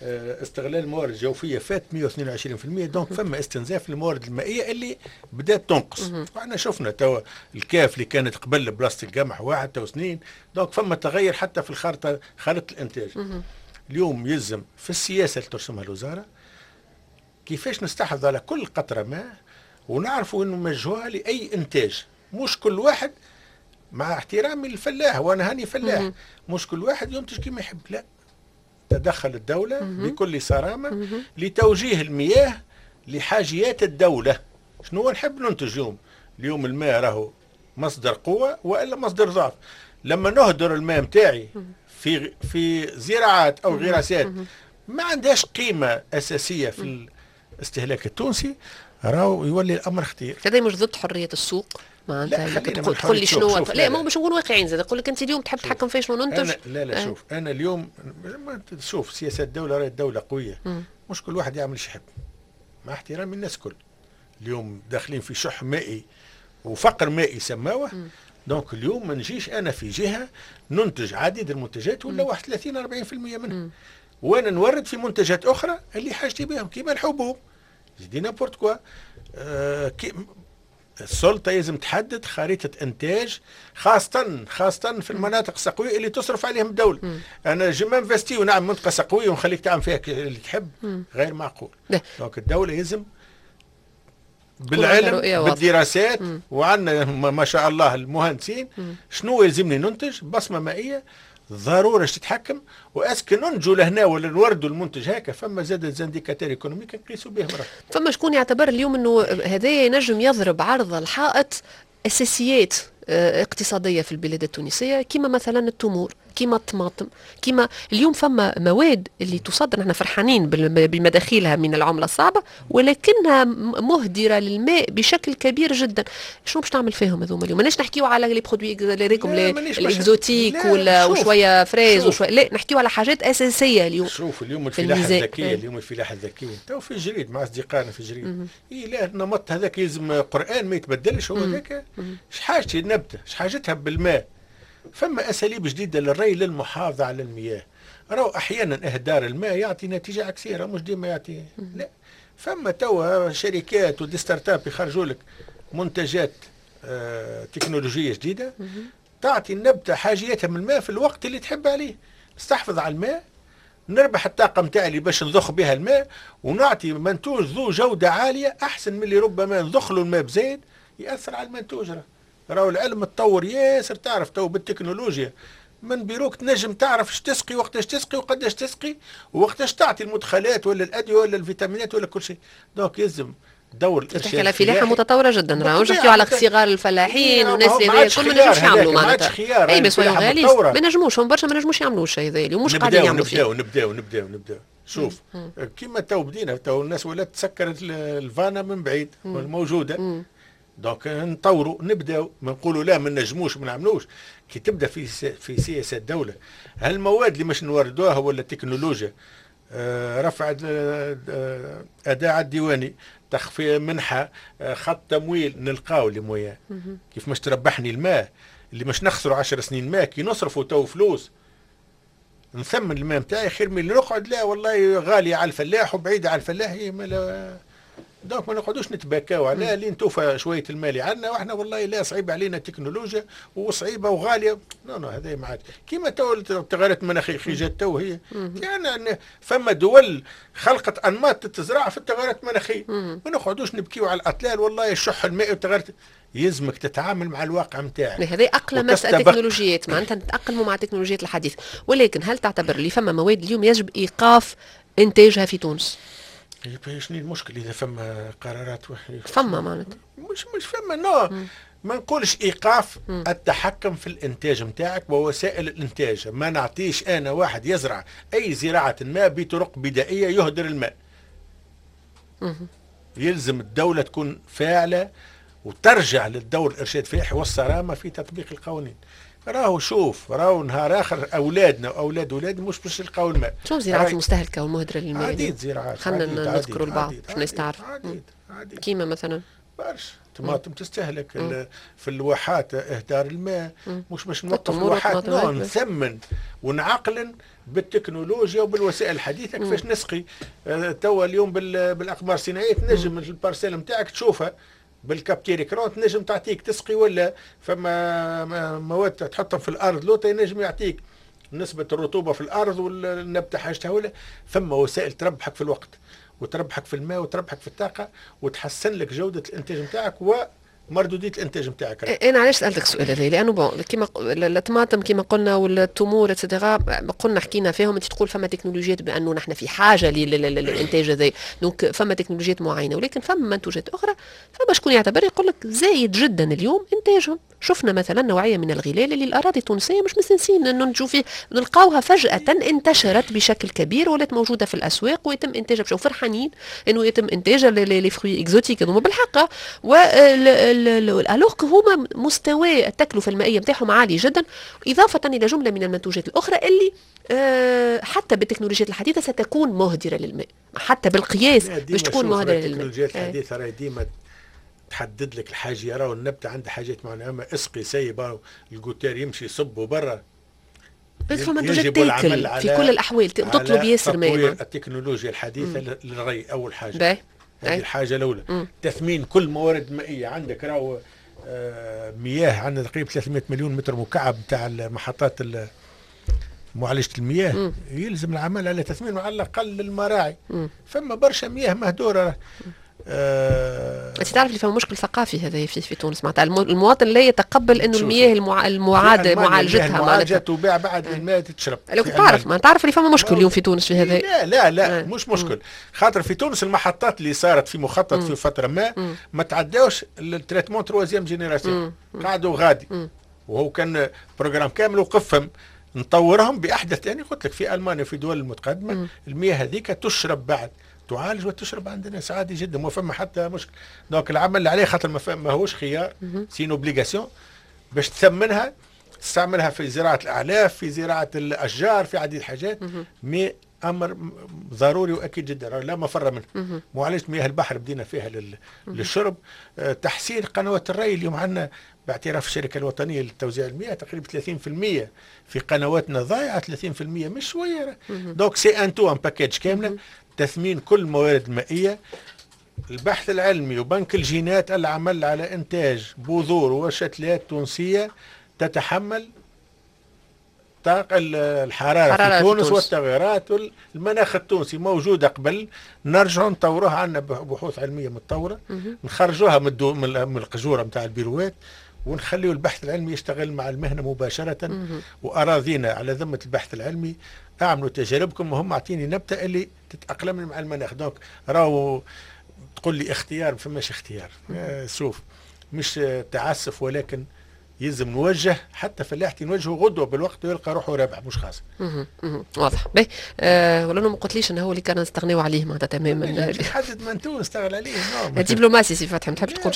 استغلال الموارد الجوفيه فات 122%، donc فما استنزاف للموارد المائية اللي بدات تنقص. واحنا شفنا توا الكاف اللي كانت قبل بلاصة القمح واحد تو سنين، donc فما تغير حتى في الخارطة، خارطة الانتاج. اليوم يلزم في السياسة اللي ترسمها الوزارة كيفاش نستحفظ على كل قطرة ماء، ونعرفوا انه موجهوها لاي انتاج، مش كل واحد، مع احترامي للفلاح وانا هاني فلاح، مش كل واحد ينتج كما يحب، لا، تدخل الدولة بكل صرامة لتوجيه المياه لحاجيات الدولة. شنو نحب ننتج اليوم؟ اليوم الماء راهو مصدر قوة والا مصدر ضعف. لما نهدر الماء متاعي في زراعات او غراسات ما عندهاش قيمة أساسية في الاستهلاك التونسي، راهو يولي الأمر خطير. هذا مش ضد حرية السوق؟ معناتها تقول لي شنو؟ لا، ما هو باش نكون واقعيين زاد، يقول لك انت اليوم تحب تحكم في شنو ننتج. لا لا، شوف انا اليوم شوف سياسة الدولة، راهي الدولة قوية، مش كل واحد يعمل ايش يحب، مع احترامي الناس كل. اليوم داخلين في شح مائي وفقر مائي سماوه. donc اليوم ما نجيش انا في جهة ننتج عديد المنتجات ولا 31 40% منها، وانا نورد في منتجات اخرى اللي حاجتي بهم كيما الحبوب، je dis n'importe quoi. السلطة لازم تحدد خريطة انتاج، خاصة في المناطق السقويه اللي تصرف عليهم الدولة. انا je m'investis ونعمل منطقة سقويه ونخليك تعمل فيها اللي تحب، غير معقول. donc الدولة لازم بالعلم بالدراسات، وعندنا ما شاء الله المهندسين، شنو يلزمني ننتج، بصمة مائية ضرورة تتحكم، و est-ce que ننتجوا لهنا ولا نوردوا المنتج هكا. فما زاد des indicateurs économiques نقيسوا بهم. فما شكون يعتبر اليوم انه هذا ينجم يضرب عرض الحائط اساسيات اقتصادية في البلاد التونسية، كما مثلا التمور، كما الطماطم، كما اليوم فما مواد اللي تصدر، نحن فرحانين بمداخيلها من العملة الصعبة، ولكنها مهدره للماء بشكل كبير جدا. شنو باش تعمل فيهم هذوما اليوم؟ ماناش نحكيو على les produits les exotiques ولا وشوية fraises وشوية، لا، نحكيو على حاجات اساسية اليوم. شوف اليوم الفلاحة الذكية، اليوم الفلاحة الذكية تو في جريد مع اصدقائنا في جريد، إيه لا النمط هذاك يلزم قران ما يتبدلش، هو هذاك اش حاجتي النبتة، اش حاجتها بالماء. فما اساليب جديدة للري للمحافظة على المياه. راهو احيانا اهدار الماء يعطي نتيجة عكسية، راه مش ديما يعطي، لا. فما توا شركات و des startups يخرجوا لك منتجات تكنولوجية جديدة تعطي النبتة حاجيتها من الماء في الوقت اللي تحب عليه. نستحفظ على الماء، نربح الطاقة نتاعي اللي باش نضخ بها الماء، ونعطي منتوج ذو جوده عالية احسن من اللي ربما نضخ له الماء بزايد ياثر على المنتوج. راهو العلم تطور ياسر، تعرف تو بالتكنولوجيا من بيروك تنجم تعرف اش تسقي، وقتاش تسقي، وقداش تسقي، وقتاش تعطي المدخلات ولا الادوية ولا الفيتامينات ولا كل شيء. donc يلزم دور الارشاد. تحكي على فلاحة متطورة جدا، راهو نحكيو على صغار الفلاحين والناس اللي كل ما نجموش يعملوا معناتها. اي mais soyons réalistes، ما نجموش، هم برشا ما نجموش يعملوا الشيء هذا ومش قاعدين يعملوا فيه. نبداو نبداو نبداو. شوف كيما تو بدينا، تو الناس ولات تسكر ال vanne من بعيد الموجوده. donc نطوروا، نبداو، ما نقولوا لا ما نجموش ما نعملوش. كي تبدا في سياسة الدوله، هالمواد اللي مش نوردوها ولا التكنولوجيا، رفع اداء الديواني، تخفيض منحه، خط تمويل، نلقاو les moyens كيف مش تربحني الماء اللي مش نخسروا 10 سنين ماء. كي نصرفوا تو فلوس نثمن الماء نتاعي خير من اللي نقعد لا والله غالي على الفلاح وبعيد على الفلاح. donc ما نقعدوش نتباكاو على لين توفى شوية المال اللي عندنا، واحنا والله لا صعيب علينا التكنولوجيا وصعيبه وغاليه. non non، هذا ما عاد كيما تو التغيرات المناخية جات تو هي، يعني فما دول خلقت انماط تزرع في التغيرات المناخيه. ما نقعدوش نبكيو على الاطلال والله الشح المائي والتغيرات، يلزمك تتعامل مع الواقع نتاعك. هذه أقلمة التكنولوجيات، معناتها نتأقلموا مع التكنولوجيات الحديثة. ولكن هل تعتبر اللي فما مواد اليوم يجب إيقاف إنتاجها في تونس؟ شنو المشكل اذا فما قرارات؟ فما معناتها مش فما، non، ما نقولش ايقاف. التحكم في الانتاج نتاعك ووسائل الانتاج. ما نعطيش انا واحد يزرع اي زراعة ما بطرق بدائية يهدر الماء. يلزم الدولة تكون فاعله وترجع للدور الارشاد الفلاحي والصرامه في تطبيق القوانين. راهو شوف، راهو نهار اخر اولادنا واولاد اولادنا مش باش يلقاو الماء. شو الزراعات المستهلكه والمهدره للماء؟ عديد زراعات. خلينا نذكروا البعض باش الناس تعرف. عديد عديد. كيما مثلا برشا طماطم تستهلك في الواحات، اهدار الماء. مش باش نوقف الواحات، non، نثمن ونعقلن بالتكنولوجيا وبالوسائل الحديثة كيفاش نسقي. توا اليوم بالاقمار الصناعية تنجم ال parcelle نتاعك تشوفها بال capteur écran، تنجم تعطيك تسقي ولا فما مواد تحطهم في الارض لوطا ينجم يعطيك نسبة الرطوبة في الأرض والنبتة حاجتها ولا. فما وسائل تربحك في الوقت وتربحك في الماء وتربحك في الطاقة وتحسن لك جودة الإنتاج نتاعك ومردودية الإنتاج نتاعك. انا علاش سالتك السؤال هذا؟ لانه bon، كيما الطماطم كيما قلنا والتمور et cetera قلنا حكينا فيهم، انت تقول فما تكنولوجيات بانه نحن في حاجة للانتاج هذا، donc فما تكنولوجيات معينه، ولكن فما منتوجات اخرى فما شكون يعتبر يقول لك زايد جدا اليوم انتاجهم. شفنا مثلا نوعية من الغلال اللي الاراضي التونسية مش مستنسين انه نجو فيه، نلقاوها فجاة انتشرت بشكل كبير ولات موجودة في الاسواق ويتم انتاجها بشكل، فرحانين انه يتم انتاجها، les fruits exotiques هذوما بالحق، و alors هما مستوى التكلفة المائية نتاعهم عالي جدا، اضافه الى جملة من المنتوجات الاخرى اللي حتى بالتكنولوجيات الحديثة ستكون مهدره للماء، حتى بالقياس باش تكون مهدره للماء. التكنولوجيات الحديثة راهي ديما تحدد لك الحاجه، راهو النبتة عندها حاجات معينه، اما اسقي سيب ال gouttière يمشي يصب برا. بس فما منتوجات تاكل في كل الاحوال تطلب ياسر ماء. التكنولوجيا الحديثة للري اول حاجه، هذه الحاجة الاولى. تثمين كل موارد مائية عندك، راهو مياه عندنا تقريبا 300 مليون متر مكعب تاع المحطات معالجة المياه. يلزم العمل على تثمين على الاقل المراعي. فما برشا مياه مهدوره. انت تعرف اللي فما مشكل ثقافي هذا في تونس، معناتها المواطن لا يتقبل انه المياه المعاد معالجتها. معناتها تباع بعد الماء تشرب. لو تعرف ما تعرف اللي فما مشكل اليوم في تونس في هذا. لا لا لا، مش مشكل، خاطر في تونس المحطات اللي صارت في مخطط في فترة ما تعداوش ال traitement troisième génération، قعدوا غادي. وهو كان programme كامل وقفهم، نطورهم باحدث. يعني قلت لك في المانيا وفي دول المتقدمة المياه هذيك تشرب بعد تعالج وتشرب عند الناس عادي جدا، ما فما حتى مشكل. donc العمل اللي عليه، خاطر ما هوش خيار، c'est une obligation باش تثمنها، تستعملها في زراعة الاعلاف، في زراعة الاشجار، في عديد الحاجات، mais امر ضروري واكيد جدا لا مفر منه. معالجة مياه البحر بدينا فيها للشرب. تحسين قنوات الري، اليوم عندنا باعتراف الشركة الوطنية لتوزيع المياه تقريبا 30% في قنواتنا ضايعه، 30% مش شويه. donc c'est un tout، un package كامله، تثمين كل الموارد المائيه، البحث العلمي وبنك الجينات، العمل على انتاج بذور وشتلات تونسية تتحمل طاقة الحرارة في تونس والتغيرات المناخ التونسي موجودة قبل، نرجعوا نطوروها، عندنا بحوث علمية متطورة، نخرجوها من القجورة نتاع البيروات. ونخليو البحث العلمي يشتغل مع المهنة مباشرة. واراضينا على ذمه البحث العلمي، اعملوا تجاربكم وهم اعطيني نبته اللي تتاقلم مع المناخ. donc راهو تقول لي اختيار، ما فماش اختيار. شوف مش تعسف، ولكن يلزم نوجه حتى فلاحتي نوجهه غدوه بالوقت ويلقى روحه رابح مش خاسر. واضح. باهي ولا ما قلتليش انه هو اللي كان نستغنيو عليه معناتها تماما. حدد منتوج نستغل عليه. دبلوماسي سي فتحي، ما تحبش تقول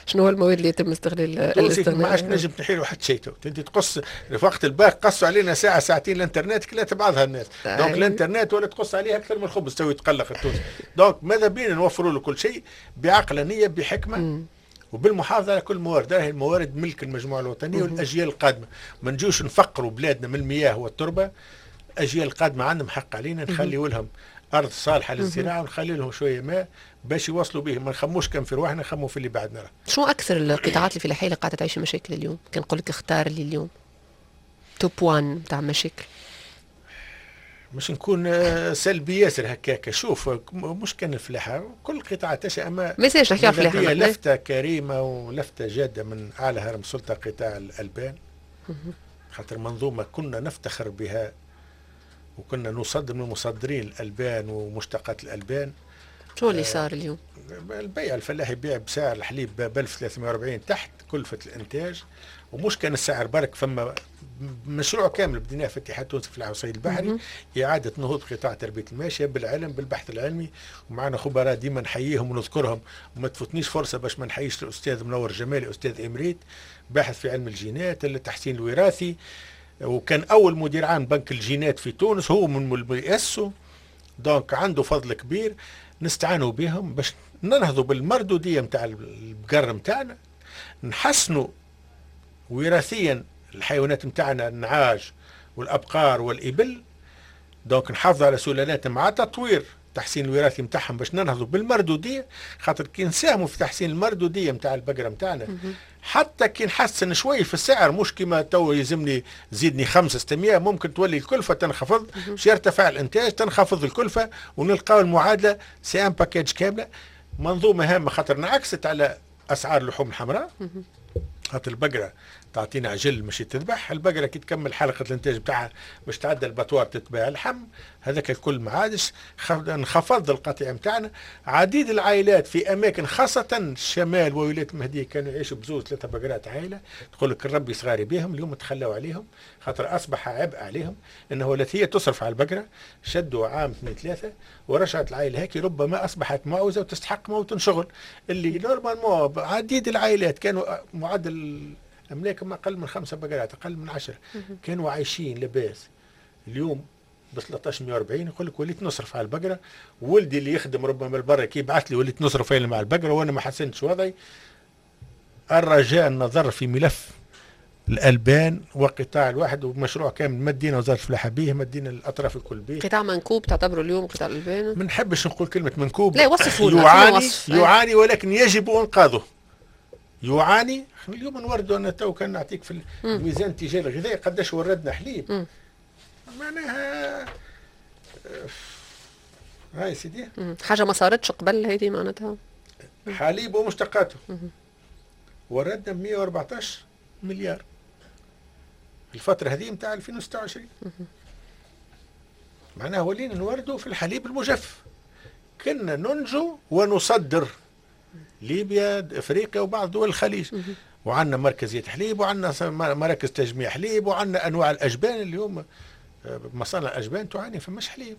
شنو هو المواد اللي يتم استغلال الاستغناء؟ ما عادش نجم تنحي له حتى شيء. انت تقص في وقت الباك قصوا علينا ساعة ساعتين الانترنت كلات بعضها الناس. donc الانترنت ولا تقص عليه اكثر من الخبز تو يتقلق التونسي. donc ماذا بينا نوفروا له كل شيء بعقلانيه بحكمه وبالمحافظة على كل الموارد. هذه الموارد ملك المجموعة الوطنية والأجيال القادمة. ما نجوش نفقروا بلادنا من المياه والتربة. الأجيال القادمة عندهم حق علينا نخليوا لهم أرض صالحة للزراعة ونخلي لهم شوية ماء باش يوصلوا به. ما نخموش كان في رواحنا، نخموا في اللي بعدنا. شو أكثر القطاعات الفلاحية اللي قاعدة تعيش مشاكل اليوم؟ كان نقول لك اختار لي اليوم top 1 تاع مشاكل. مش نكون سلبي ياسر هكاك. شوف مش كان الفلاحة، كل قطاع تشأ، اما ما يسالش نحكي على الفلاحة. لفته كريمة ولفته جاده من اعلى هرم سلطة قطاع الالبان، خاطر منظومة كنا نفتخر بها وكنا نصدر من مصدرين الالبان ومشتقات الالبان. شو اللي صار اليوم؟ البيع الفلاح يبيع بسعر الحليب ب 1340 تحت كلفه الانتاج، ومش كان السعر برك، فما مشروع كامل بديناه في اتحاد تونس في الصيد البحري، إعادة نهوض قطاع تربية الماشية بالعلم بالبحث العلمي، ومعنا خبراء ديما نحييهم ونذكرهم، وما تفوتنيش فرصة باش ما نحييش الأستاذ منور جمالي، أستاذ إمريت باحث في علم الجينات التحسين الوراثي، وكان أول مدير عام بنك الجينات في تونس، هو من اللي أسسه، donc عنده فضل كبير. نستعانوا بهم باش ننهضوا بالمردودية نتاع البقر نتاعنا، نحسنوا وراثيا الحيوانات نتاعنا، النعاج والابقار والابل، donc نحافظ على سلالاتنا مع تطوير تحسين الوراثي نتاعهم باش ننهضوا بالمردوديه، خاطر كي نساهموا في تحسين المردوديه نتاع البقرة نتاعنا حتى كي نحسن شوي في السعر، مش كيما تو يلزمني زيدني 5 600، ممكن تولي الكلفة تنخفض، باش يرتفع الانتاج تنخفض الكلفة ونلقاو المعادلة c'est un package كاملة. منظومة هامة خاطر انعكست على اسعار اللحوم الحمراء، خاطر البقرة تعطينا عجل مش تذبح، البقرة كي تكمل حلقة الانتاج بتاعها باش تعدى ال abattoir تتباع اللحم، هذاك الكل ما عادش، انخفض القطيع نتاعنا. عديد العائلات في اماكن خاصة الشمال وولاية المهدية كانوا يعيشوا بزوز ثلاثة بقرات عائلة، تقول لك الربي صغاري بهم، اليوم تخلوا عليهم خاطر اصبح عبء عليهم انه ولات هي تصرف على البقرة، شدوا عام اثنين ثلاثة ورجعت العائلة هيك ربما اصبحت معوزه وتستحق موطن شغل، اللي normalement عديد العائلات كانوا معدل املاكهم اقل من 5 بقرات، اقل من 10، كانوا عايشين لاباس. اليوم ب 1340 يقول لك وليت نصرف على البقرة، ولدي اللي يخدم ربما البرة كي يبعث لي وليت نصرف مع البقرة وانا ما حسنتش وضعي. الرجاء النظر في ملف الالبان وقطاع الواحد ومشروع كامل مدينا وزارة الفلاحة به، مدينا الاطراف الكل به. قطاع منكوب تعتبره اليوم قطاع الالبان؟ ما نحبش نقول كلمة منكوب، لا وصفوا يعاني يعاني ولكن يجب انقاذه. يعاني اليوم نوردوا انا تو كان نعطيك في الميزان التجاري الغذائي قداش وردنا حليب، معناها هاي سيدي حاجة ما صارتش قبل هذه، معناتها حليب ومشتقاته وردنا 114 مليار الفترة هذه نتاع 2026، معناها ولينا نوردوا في الحليب المجفف، كنا ننجو ونصدر ليبيا افريقيا وبعض دول الخليج، وعندنا مركزية حليب وعندنا مراكز تجميع حليب وعندنا انواع الاجبان. اليوم مصانع الاجبان تعاني، فماش حليب.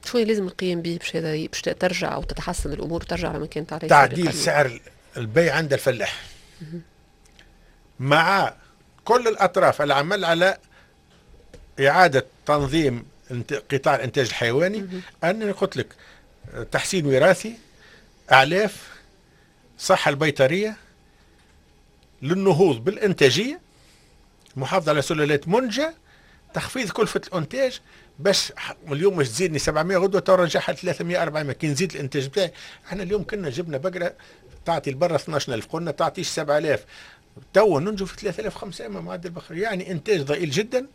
شو لازم القيام به باش هذا باش ترجع او تتحسن الامور وترجع لما كانت عليه؟ تعديل سعر البيع عند الفلاح مع كل الاطراف، العمل على اعاده تنظيم قطاع الانتاج الحيواني. انا قلت لك تحسين وراثي، اعلاف، صحة البيطرية، للنهوض بالإنتاجية، محافظة على سلالات منجة، تخفيض كلفة الإنتاج، باش اليوم مش تزيدني 700 غدوة ترجعها 300 400 كي نزيد الإنتاج بتاعي. احنا اليوم كنا جبنا بقرة تعطي البرة 12000، قلنا تعطيش 7000، تو ننجو في 3500 معدل البقر، يعني إنتاج ضئيل جدا.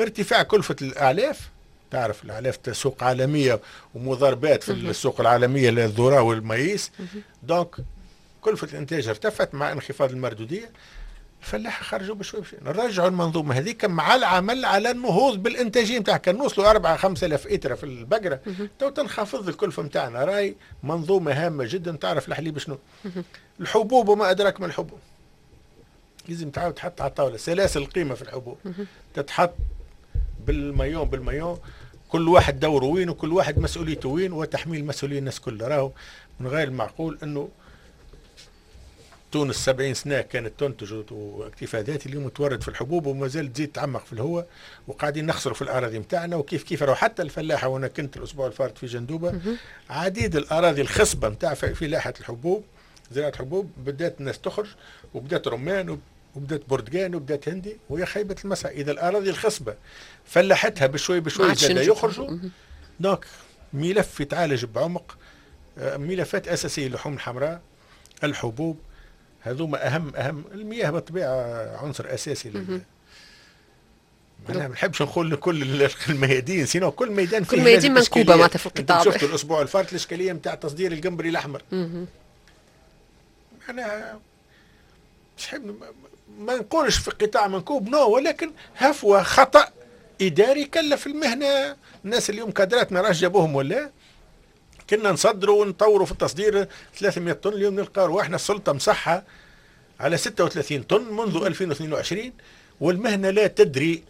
ارتفاع كلفة الأعلاف، تعرف الأعلاف سوق عالمية ومضاربات في السوق العالمية للذرة وال maïs، donc كلفه الانتاج ارتفعت مع انخفاض المردوديه، الفلاحة خرجوا بشوي بشوي. نرجعوا المنظومة هذيك مع العمل على النهوض بالانتاجيه نتاعها. كان نوصلوا 4 5000 إترة في البقرة تو تنخفض الكلفة نتاعنا. راي منظومة هامة جدا. تعرف الحليب شنو؟ الحبوب وما ادراك ما الحبوب. لازم تعاود تحط على الطاولة سلاسل القيمة في الحبوب، تتحط بال maillon بال maillon، كل واحد دوره وين وكل واحد مسؤوليته وين، وتحميل مسؤولية الناس كلها. راهو من غير المعقول انه تونس 70 سنة كانت تنتج واكتفاء ذاتي، اليوم تورد في الحبوب وما زالت تزيد تعمق في الهواء، وقاعدين نخسروا في الاراضي نتاعنا. وكيف كيف راهو حتى الفلاحة، وانا كنت الاسبوع الفارط في جندوبه، عديد الاراضي الخصبة نتاع فلاحة الحبوب، زراعة الحبوب، بدات الناس تخرج وبدات رمان وبدات برتقان وبدات هندي، وهي خيبه المسعى. اذا الاراضي الخصبة فلاحتها بشوي بشوي زاد يخرجوا. donc ملف يتعالج بعمق، ملفات اساسية، اللحوم الحمراء، الحبوب، هذوما اهم. المياه بالطبيعة عنصر اساسي لل انا ما نحبش نقول لكل الميادين، sinon كل ميدان فيه كل ميادين منكوبه معناتها في القطاع. شفتوا الاسبوع الفارط الاشكالية نتاع تصدير القنبري الاحمر. انا مش حب ما نقولش في قطاع منكوب non، ولكن هفوة خطا اداري كلف المهنة. الناس اليوم كادرات ما راش جابوهم ولا كنا نصدروا ونطوروا في التصدير 300 طن، اليوم نلقى رواحنا السلطة مسحها على 36 طن منذ 2022، والمهنه لا تدري،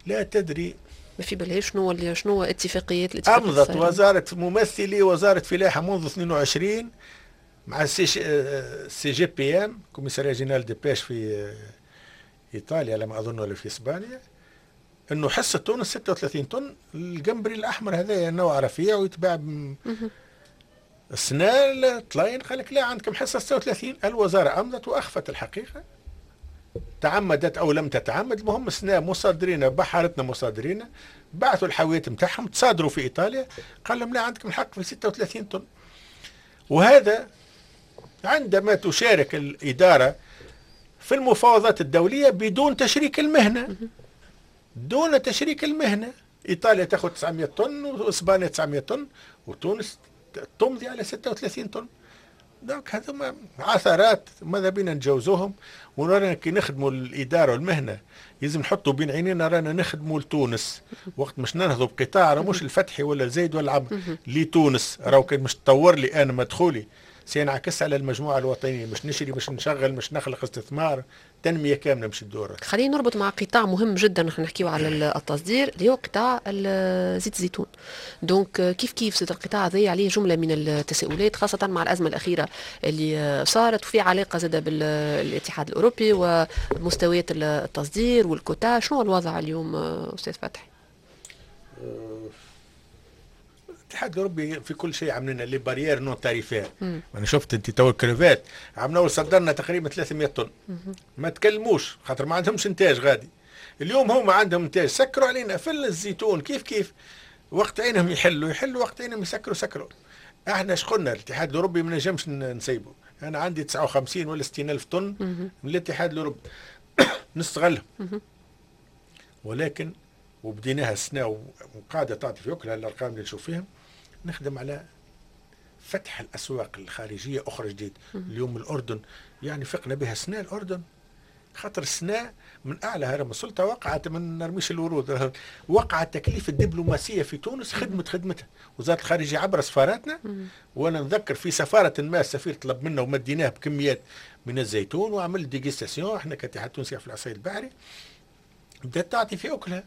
لا تدري، ما في بالهاش شنو اتفاقيات. امضت وزارة ممثلي وزارة فلاحة منذ 22 مع CGPM، commissariat général des pêches في ايطاليا لما اظن ولا في اسبانيا، انه حصة تونس 36 طن. الجمبري الاحمر هذا نوع رفيع ويتباع السنة طلاين، قال لك لا عندكم حصة 36. الوزارة امضت واخفت الحقيقة، تعمدت او لم تتعمد، المهم السنة مصادرين بحارتنا مصادرين بعثوا الحاويات نتاعهم تصادروا في ايطاليا، قال لهم لا عندكم الحق في 36 طن. وهذا عندما تشارك الادارة في المفاوضات الدولية بدون تشريك المهنة، دون تشريك المهنة. ايطاليا تاخذ 900 طن واسبانيا 900 طن وتونس تمضي على 36 طن. donc هذوما عثرات ماذا بينا نتجاوزوهم، ورانا كي نخدموا الادارة والمهنه لازم نحطوا بين عينينا رانا نخدموا لتونس. وقت مش ننهضوا بقطاع راه مش الفتحي ولا الزايد ولا العمر لتونس، راهو كان مش تطور لي انا مدخولي سينعكس على المجموعة الوطنية، مش نشري مش نشغل مش نخلق استثمار، تنمية كاملة مش الدورة. خلينا نربط مع قطاع مهم جدا، نحن نحكيو على التصدير اللي هو قطاع زيت الزيتون. donc كيف كيف زيت القطاع هذا عليه جملة من التساؤلات، خاصة مع الازمة الاخيرة اللي صارت، وفي علاقة زاده بالاتحاد الاوروبي ومستويات التصدير والكوتا. شنو الوضع اليوم استاذ فتحي؟ الاتحاد الاوروبي في كل شيء عاملين les barrières non tarifaires. انا شفت انت تو الكريفات عملنا صدرنا تقريبا 300 طن، ما تكلموش خاطر ما عندهمش انتاج غادي. اليوم هما عندهم انتاج، سكروا علينا في الزيتون كيف كيف، وقت عينهم يحلوا يحلوا، وقت عينهم يسكروا سكروا. احنا اش قلنا؟ الاتحاد الاوروبي ما نجمش نسيبه. انا عندي 59 ولا 60 الف طن من الاتحاد الاوروبي نستغلهم، ولكن وبديناها السنة وقاعدة تعطي في اكلها الارقام اللي نشوف فيهم. نخدم على فتح الاسواق الخارجية اخرى جديد. اليوم الاردن يعني فقنا بها السنة، الاردن خاطر السنة من اعلى هرم السلطة وقعت، من نرميش الورود، وقعت تكليف الدبلوماسية في تونس خدمت خدمتها وزارة الخارجية عبر سفاراتنا. وانا نذكر في سفارة ما السفير طلب منا ومديناه بكميات من الزيتون وعمل dégustation. احنا كاتحاد تونسي في العصير البحري بدات تعطي في اكلها.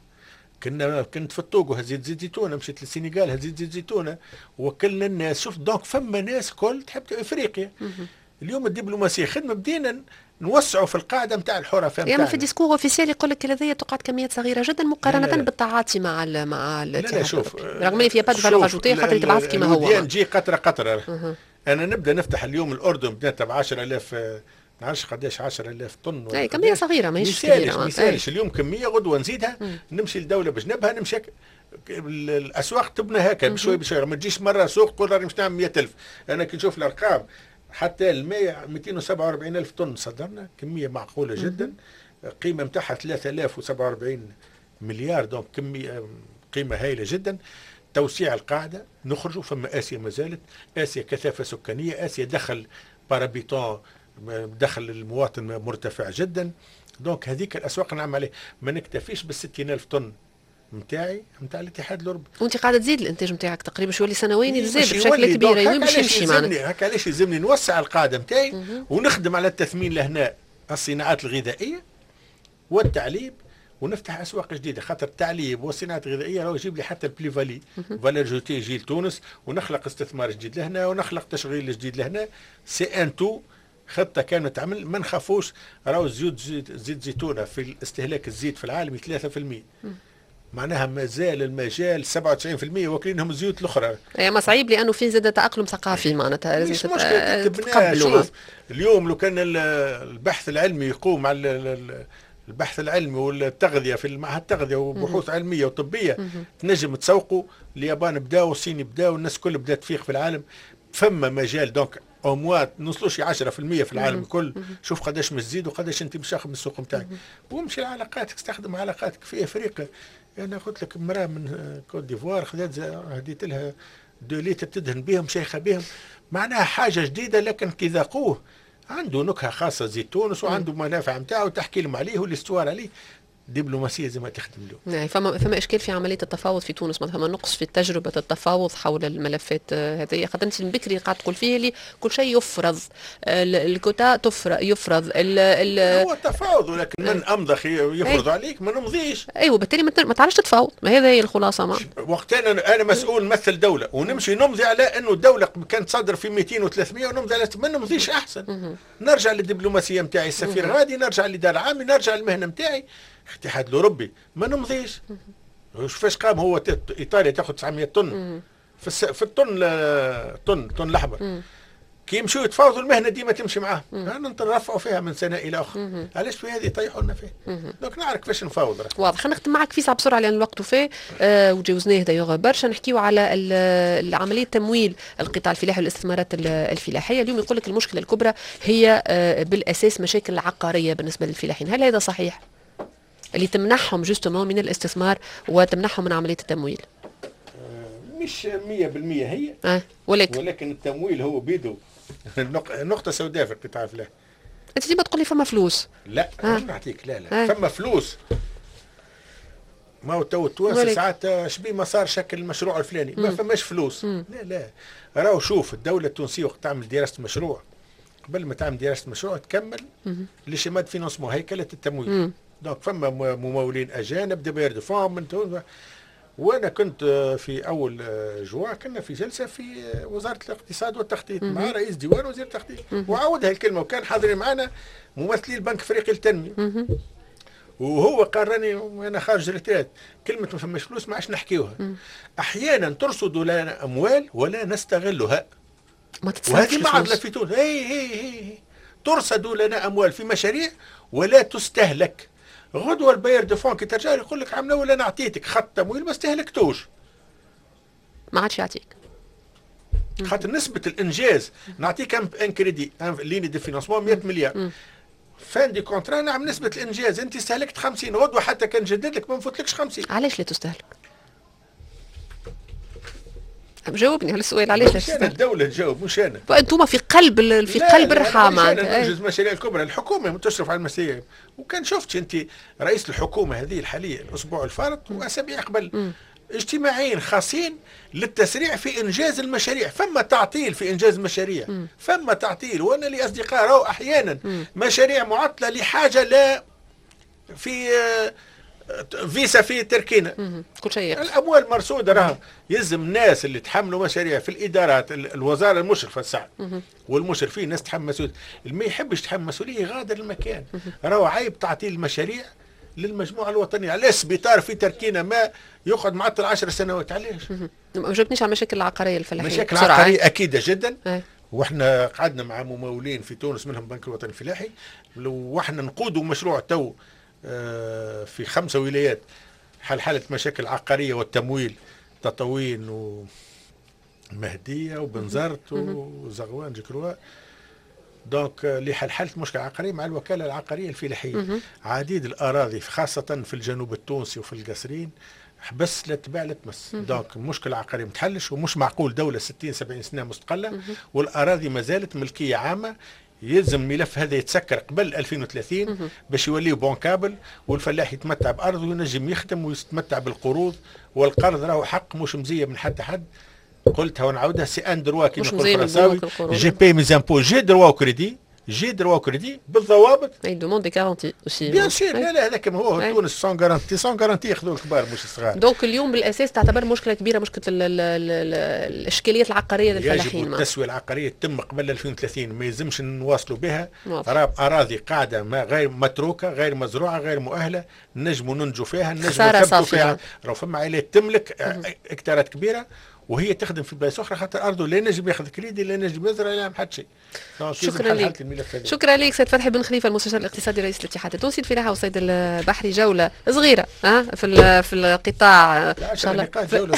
كنت في الطوغو هزيت زيت زيتونه، مشيت للسنغال هزيت زيت زيتونه، وكلنا الناس. شوف donc فما ناس كل تحب افريقيا. اليوم الدبلوماسية خدمة، بدينا نوسعوا في القاعدة نتاع الحرفاء. يعني في discours officiel يقول لك هذه تقعد كميات صغيرة جدا مقارنة بالتعاطي مع مع الاتحاد. لا شوف، رغم اللي فيها pas de valeur ajoutée خاطر تبعث كيما هو. نجي قطرة قطرة. انا نبدا نفتح اليوم الاردن بدات ب 10000، ما نعرفش قداش، 10000 طن. اي كمية صغيرة ماهيش كبيرة. ما يسالش اليوم كمية غدوه نزيدها، نمشي لدولة بجنبها، نمشي الاسواق تبنى هكا بشوي بشوي، ما تجيش مرة سوق تقول راني مش نعمل 100000. انا كي نشوف الارقام حتى الماء 247 الف طن صدرنا، كمية معقولة جدا، قيمة نتاعها 3047 مليار، donc كمية قيمة هائلة جدا. توسيع القاعدة نخرجوا، فما اسيا ما زالت، اسيا كثافة سكانية، اسيا دخل par habitant دخل المواطن مرتفع جدا. donc هذيك الاسواق نعمل عليه، ما نكتفيش بال 60000 طن نتاعي نتاع الاتحاد الاوروبي. وانت قاعدة تزيد الانتاج نتاعك تقريبا شو يولي سنويا يزيد بشكل كبير، وين باش يمشي معنا؟ هكا علاش يلزمني نوسع القاعدة نتاعي ونخدم على التثمين لهنا الصناعات الغذائية والتعليب، ونفتح اسواق جديدة، خاطر التعليب والصناعات الغذائية راهو يجيب لي حتى ال plus-value valeur ajoutée يجي لتونس، ونخلق استثمار جديد لهنا ونخلق تشغيل جديد لهنا. c'est un tout، خطه كانت تعمل. ما نخافوش، راهو زيت زيتونه في استهلاك الزيت في العالم 3%، معناها مازال المجال 97% واكلينهم الزيوت الاخرى. اي ما صعيب لانه في زاد تاقلم ثقافي، معناتها لازم تتقبلوا. شوف اليوم لو كان البحث العلمي يقوم على البحث العلمي والتغذيه في معهد التغذية وبحوث علمية وطبيه تنجم تسوقوا. اليابان بداوا والصين بداوا والناس كل بدات تفيق في العالم، فما مجال. donc au moins نوصلوش 10% في العالم الكل. شوف قداش مش تزيد وقداش انت مش تاخذ من السوق نتاعك، وامشي لعلاقاتك، استخدم علاقاتك في افريقيا. انا قلت لك امراة من كوت ديفوار خذت هديت لها 2 لتر تدهن بهم شيخه بهم، معناها حاجة جديدة، لكن كي ذاقوه عنده نكهة خاصة زيت تونس وعنده منافع نتاعو تحكي لهم عليه وال histoire عليه. دبلوماسية زي ما تخدم له. نعم، فما اشكال في عملية التفاوض في تونس، ما فما نقص في تجربه التفاوض حول الملفات هذه، خاطر انت من بكري قاعد تقول فيه اللي كل شيء يفرض، الكوتا يفرض هو التفاوض، ولكن من امضى يفرض عليك ما نمضيش. ايوه، بالتالي ما تعرفش تتفاوض، ما هذا هي الخلاصة. ما وقت انا مسؤول نمثل دولة ونمشي نمضي على انه الدولة كانت تصدر في 200 و300 ونمضي على ما نمضيش احسن. نرجع للدبلوماسيه نتاعي، السفير غادي، نرجع للادارة العامة، نرجع للمهنه نتاعي. الاتحاد الاوروبي ما نمضيش. فاش قام هو ايطاليا تاخذ 900 طن في الطن طن الاحمر، كي يمشوا يتفاوضوا المهنة ديما تمشي معاهم، نرفعوا فيها من سنة الى اخرى. علاش في هذه يطيحوا لنا فيه؟ donc نعرف كيفاش نفاوض. واضح. خلينا نختم معك فيسع بسرعة لان الوقت وفاه وجاوزناه d'ailleurs برشا. نحكيو على عملية تمويل القطاع الفلاحي والاستثمارات الفلاحية. اليوم يقول لك المشكلة الكبرى هي بالاساس مشاكل عقارية بالنسبة للفلاحين، هل هذا صحيح؟ اللي تمنحهم justement من الاستثمار وتمنحهم من عملية التمويل. مش 100% هي ولكن التمويل هو بيدو نقطة سوداء في القطاع الفلاحي. انت ديما تقول لي فما فلوس. لا نعطيك لا لا فما فلوس. ما هو تو التوانسة ساعات شبيه ما صار شكل المشروع الفلاني ما فماش فلوس. لا لا، راهو شوف الدولة التونسية وقت تعمل دراسة مشروع، قبل ما تعمل دراسة مشروع تكمل les schémas de financement، هيكله التمويل. donc فما ممولين اجانب des bailleurs de fonds من تونس. وانا كنت في اول جوان كنا في جلسه في وزارة الاقتصاد والتخطيط مع رئيس ديوان وزير التخطيط، وعاودها الكلمة، وكان حاضرين معنا ممثلي البنك الافريقي للتنمية. وهو قال راني انا خارج retraite، كلمة ما فماش فلوس ما عادش نحكيوها. احيانا ترصد لنا اموال ولا نستغلها، وهذه معضلة في تونس. هي هي هي ترصد لنا اموال في مشاريع ولا تستهلك. غدوه ال bailleur de fonds كي ترجع يقول لك عملنا ولا انا عطيتك خط تمويل ما استهلكتوش، ما عادش يعطيك، خاطر نسبه الانجاز. نعطيك un crédit ligne de financement 100 مليار fin du contrat، نعم نسبه الانجاز انت استهلكت 50، غدوه حتى كان جدد لك ما نفوتلكش 50. علاش لا تستهلك؟ جاوبني على السؤال، علاش لا تستهلك؟ الدولة تجاوب مش انا. انتم في قلب في قلب الرحى معناتها. ننجز المشاريع الكبرى، الحكومة تشرف على المشاريع. وكان شفت انت رئيس الحكومة هذه الحالية الاسبوع الفارط واسابيع قبل اجتماعين خاصين للتسريع في انجاز المشاريع. فما تعطيل في انجاز المشاريع، فما تعطيل. وانا لي اصدقاء راهو احيانا مشاريع معطلة لحاجة لا في فيسا في تركينا، كل شيء الاموال مرصوده. راه يلزم الناس اللي تحملوا مشاريع في الادارات، الوزارة المشرفة الساعة والمشرفين، الناس تحمل مسؤولية. اللي ما يحبش يتحمل مسؤولية يغادر المكان. راهو عيب تعطيل المشاريع للمجموعة الوطنية. علاش سبيطار في تركينا ما يقعد معطل 10 سنوات؟ علاش؟ ما جاوبتنيش على المشاكل العقارية الفلاحية. مشاكل عقارية اكيدة جدا. واحنا قعدنا مع ممولين في تونس منهم البنك الوطني الفلاحي، واحنا نقودوا مشروع تو في 5 ولايات حل حالة مشاكل عقارية والتمويل، تطاوين ومهدية وبنزرت وزغوان je crois. donc لحل حالة مشكلة عقارية مع الوكالة العقارية الفلاحية. عديد الأراضي خاصة في الجنوب التونسي وفي القصرين حبس لا تباع لا تمس. donc المشكلة العقارية ما تحلش، ومش معقول دولة 60 70 سنة مستقلة والاراضي ما زالت ملكية عامة. يلزم الملف هذا يتسكر قبل 2030 باش يولي bancable، والفلاح يتمتع بارضه وينجم يخدم ويتمتع بالقروض. والقرض راهو حق مش مزية من حتى حد، قلتها ونعاودها، c'est un droit كيما يقول الفرنساوي، je paie mes impôts، j'ai droit au crédit، j'ai droit au crédit بالضوابط. il demande des garanties aussi. bien sûr. لا لا، هذاك هو تونس sans garantie، sans garantie ياخذوا الكبار مش الصغار. donc اليوم بالاساس تعتبر مشكلة كبيرة مشكلة الاشكاليات العقارية للفلاحين. يجب التسوية العقارية تتم قبل 2030، ما يلزمش نواصلوا بها. اراضي قاعدة ما غير متروكه، غير مزروعه، غير مؤهله، نجموا ننجوا فيها، نجموا نثبتوا فيها. راهو فما عائلات تملك هكتارات كبيرة وهي تخدم في بلايص اخرى، خاطر ارضه لا نجم ياخذ كريدي، لا نجم يزرع، لا يعمل حتى شيء. شكرا لك، شكرا لك سيد فتحي بن خليفة، المستشار الاقتصادي رئيس الاتحاد التونسي للفلاحه والصيد البحري. جولة صغيرة في القطاع، ان شاء الله جولة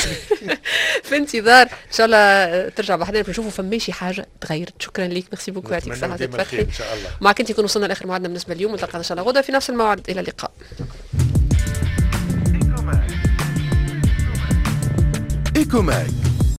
في انتظار ان شاء الله ترجع بحذانا نشوفوا فماشي حاجة تغيرت. شكرا لك، merci beaucoup، يعطيك الصحة سيد فتحي. ان شاء الله. معك انت يكون وصلنا لاخر موعدنا بالنسبة اليوم، نلتقي ان شاء الله غدا في نفس الموعد، الى اللقاء. Ecomag.